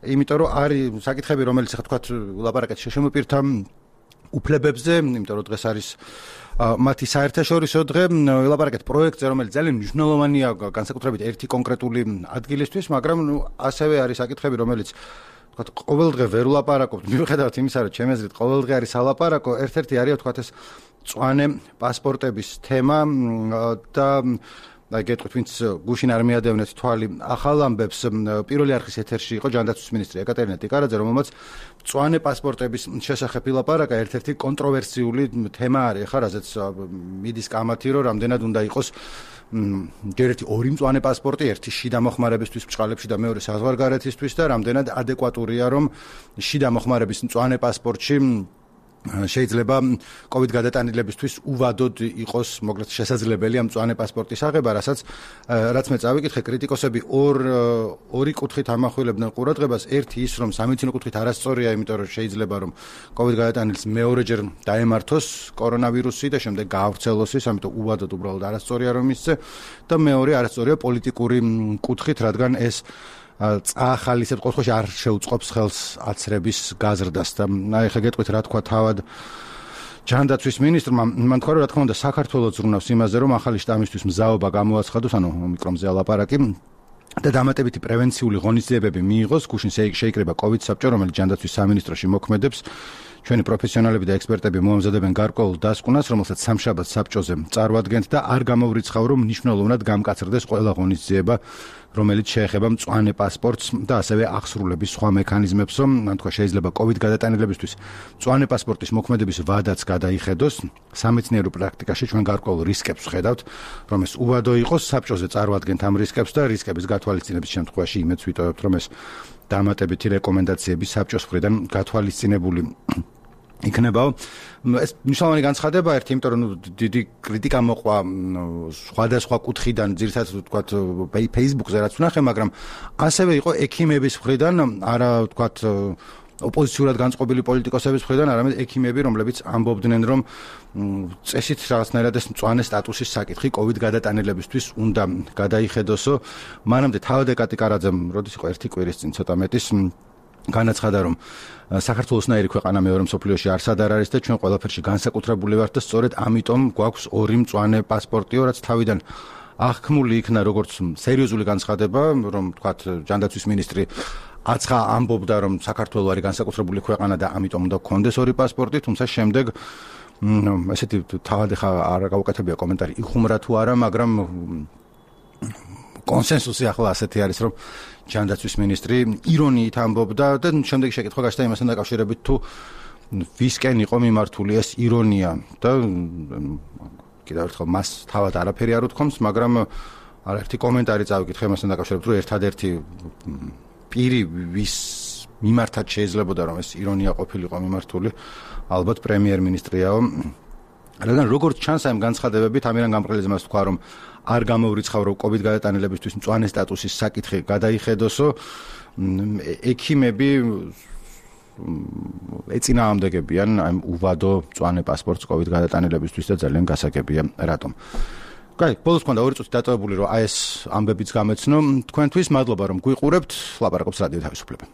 იმიტომ რომ არის საკითხები, რომელიც ახლა თქვათ ლაპარაკეთ შეშემოპირთა უფლებებზე, იმიტომ რომ დღეს არის მათი საერთაშორისო დღე, ელაპარაკეთ პროექტზე, რომელიც ძალიან მნიშვნელოვანია განსაკუთრებით ერთი კონკრეტული ადგილისთვის, მაგრამ ასევე არის საკითხები, რომელიც თქვათ ყოველდღე ვერ ვლაპარაკობთ, მიუხედავად იმისა, რომ ჩემი აზრით ყოველდღე არის სალაპარაკო, ერთ-ერთი არის თქვათ ეს მწვანე პასპორტების თემა და და გეტყვით, ვინც გუშინ არ მიადევნეთ თვალი ახალ ამბებს, პირველი არხის ეთერში იყო ჯანდაცვის მინისტრი ეკატერინე ტიკარაძე, რომელმაც მწვანე პასპორტების შესახებ ილაპარაკა, ერთ-ერთი კონტროვერსიული თემა არის, ხა რაზეც მიდის კამათი, რომ რამდენად უნდა იყოს ჯერ ერთი ორი მწვანე პასპორტი, ერთი შიდა მოხმარებისთვის ბჭყალებში და მეორე საზღვარგარეთისთვის და რამდენად ადეკვატურია, რომ შიდა მოხმარების მწვანე პასპორტში შეიძლება COVID გადატანილებისთვის უვადოდ იყოს მოგრეთ შესაძლებელი ამ მწვანე პასპორტის აღება, რაც მე წავიკითხე, კრიტიკოსები ორი კუთხით ამახვილებდნენ ყურადღებას. ერთი ის, რომ სამედიცინო კუთხით არასწორია, იმიტომ რომ შეიძლება რომ COVID გადატანილს მეორეჯერ დაემართოს კორონავირუსი და შემდეგ გაავრცელოს ის, ამიტომ უვადოდ უბრალოდ არასწორია რომ ისце და მეორე არასწორია პოლიტიკური კუთხით, რადგან ეს წაახალისებს ყოველთვის არ შეუწყობს ხელს აცრების გაზრდას და აი ხა გეტყვით რა თქვა თავად ჯანდაცვის მინისტრმა მან თქვა რომ რა თქმა უნდა საქართველოს ზრუნავს იმაზე რომ ახალი შტამისთვის მზაობა გამოაცხადოს ანუ ომიკრონზე ალაპარაკი და დამატებითი პრევენციული ღონისძიებები მიიღოს გუშინ შეიკრიბა COVID საბჭო რომელიც ჯანდაცვის სამინისტროში მოქმედებს ჩვენი პროფესიონალები და ექსპერტები მოამზადებენ გარკვეულ დასკვნას რომელსაც სამშაბათს საბჭოზე წარვადგენთ და არ გამოვრიცხავ რომ მნიშვნელოვნად გამკაცრდეს ყველა ღონისძიება რომელიც შეეხება მწვანე პასპორტს და ასევე აღსრულების სხვა მექანიზმებსო მან თქვა შეიძლება COVID გადატანილებისთვის მწვანე პასპორტის მოქმედების ვადაც გადაიხედოს სამეცნიერო პრაქტიკაში ჩვენ გარკვეულ რისკებს ვხედავთ რომ ეს უვადო იყოს საბჭოზე წარვადგენთ ამ რისკებს და რისკების გათვალისწინების შემთხვევაში იმედს ვიტოვებთ რომ ეს დამატებითი რეკომენდაციები საბჭოს მხრიდან გათვალისწინებული იქნებაო ეს მნიშვნელოვანი განცხადება ერთი იმიტომ რომ დიდი კრიტიკა მოყვა სხვადასხვა კუთხიდან ძირითადად ვთქვათ Facebook-ზე რაც ვნახე მაგრამ ასევე იყო ექიმების მხრიდან არა ვთქვათ ოპოზიციურად განწყობილი პოლიტიკოსების მხრიდან არამედ ექიმები რომლებიც ამბობდნენ რომ წესით რაღაცნაირად ეს მწვანე სტატუსის საკითხი COVID გადატანილებისთვის უნდა გადაიხედოსო მანამდე თავად ეკატი კარაძემ როდის იყო ერთი კვირის წინ ცოტა მეტის განაცხადა რომ საქართველოსნაირი ქვეყანა მეორე მსოფლიოში არსად არ არის და ჩვენ ყველაფერში განსაკუთრებული ვართ და სწორედ ამიტომ გვაქვს ორი მწვანე პასპორტიო რაც თავიდან აღქმული იქნა როგორც სერიოზული განცხადება რომ თქვათ ჯანდაცვის მინისტრი აცხა ამბობდა რომ საქართველოს არის განსაკუთრებული ქვეყანა და ამიტომ უნდა გქონდეს ორი პასპორტი თუმცა შემდეგ ესეთი თავად ხა არ გავუკეთებია კომენტარი იხუმრა თუ არა მაგრამ კონსენსუსი ახლა ასეთი არის რომ ჯანდაცვის მინისტრი ირონიით ამბობდა და შემდეგ შეკითხვა გაჩნდა იმასთან დაკავშირებით თუ ვისკენ იყო მიმართული ეს ირონია და კიდევ ერთხელ მას თავად არაფერი არ უთქვამს მაგრამ არაერთი კომენტარი წავიკითხე იმასთან დაკავშირებით რომ ერთადერთი პირი ვის მიმართაც შეიძლებოდა რომ ეს ირონია ყოფილიყო მიმართული ალბათ პრემიერ-მინისტრიაო რადგან როგორც ჩანს ამ განცხადებებით ამირან გამყრელიძემ მას თქვა რომ არ გამოვრიცხავ რომ COVID გადატანილებისთვის მწვანე სტატუსის საკითხი გადაიხედოსო ექიმები ეწინააღმდეგებიან ამ უვადო მწვანე პასპორტს COVID გადატანილებისთვის და ძალიან გასაგებია რატომ კაი ბოლოს მქონდა 2 წუთი დატოვებული რომ აი ეს ამბებიც გამეცნო თქვენთვის მადლობა რომ გვიყურებთ ლაპარაკობს რადიო თავისუფლება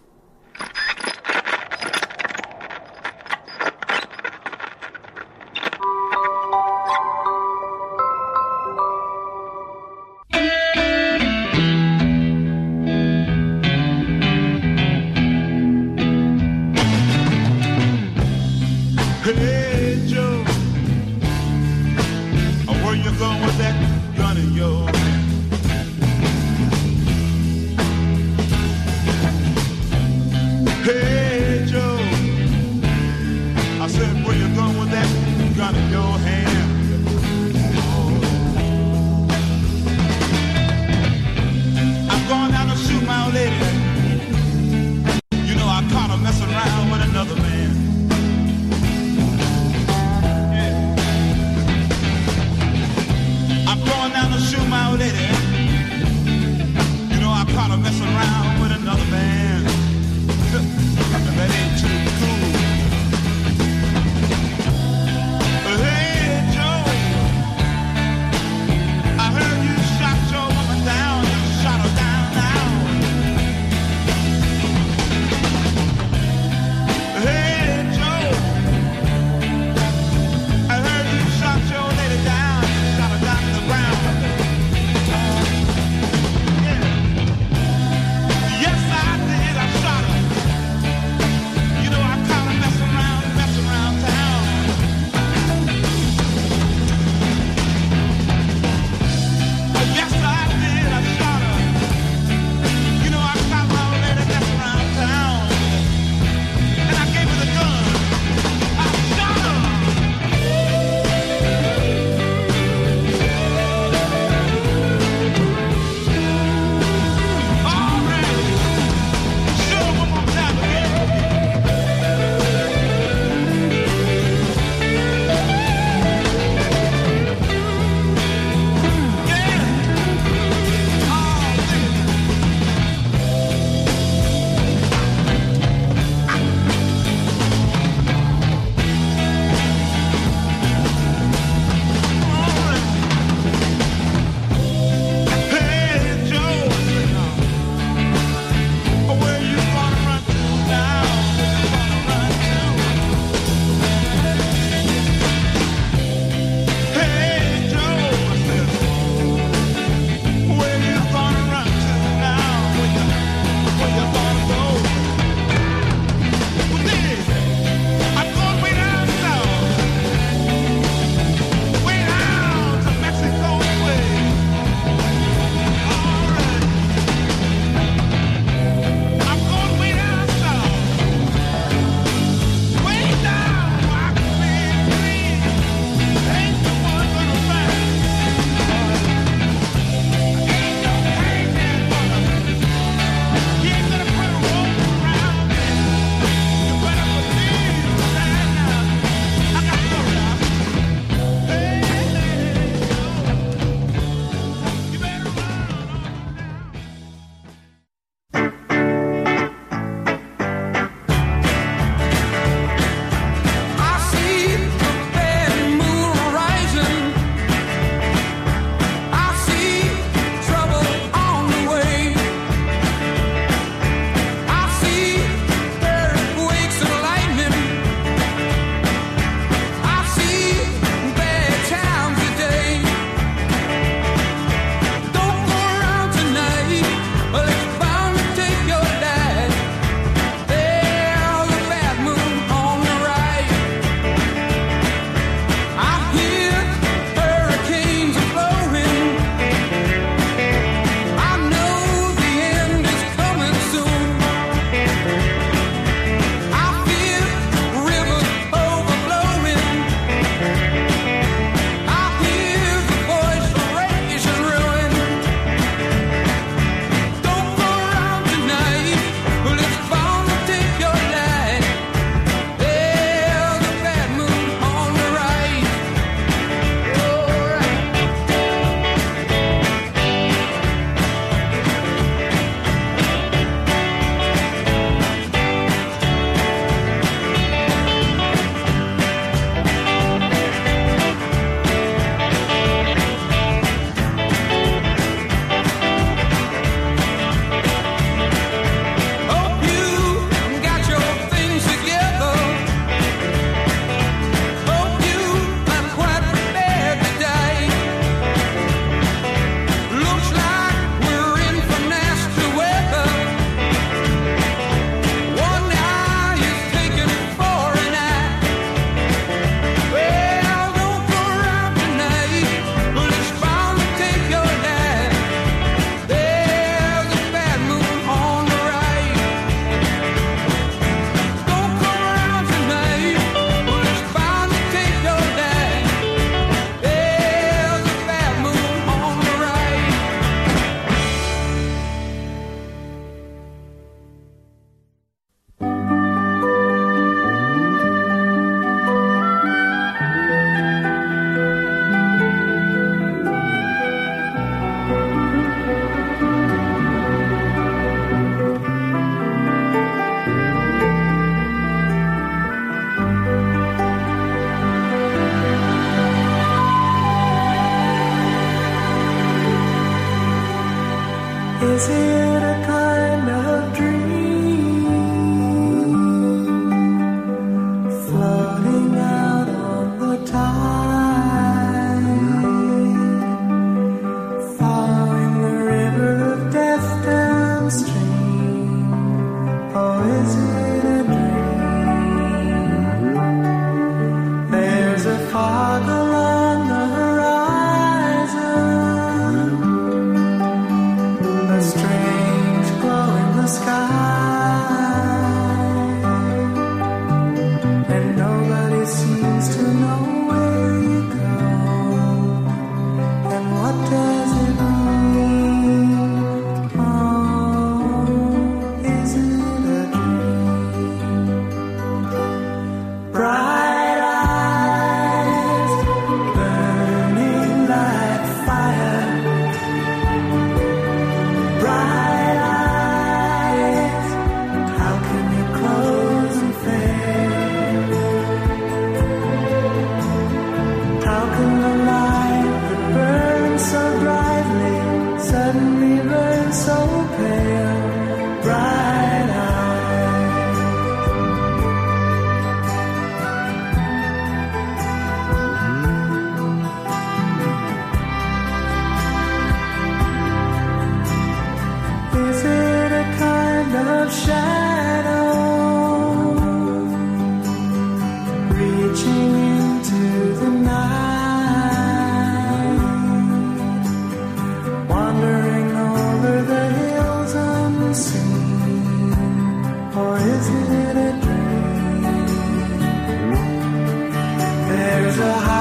There's a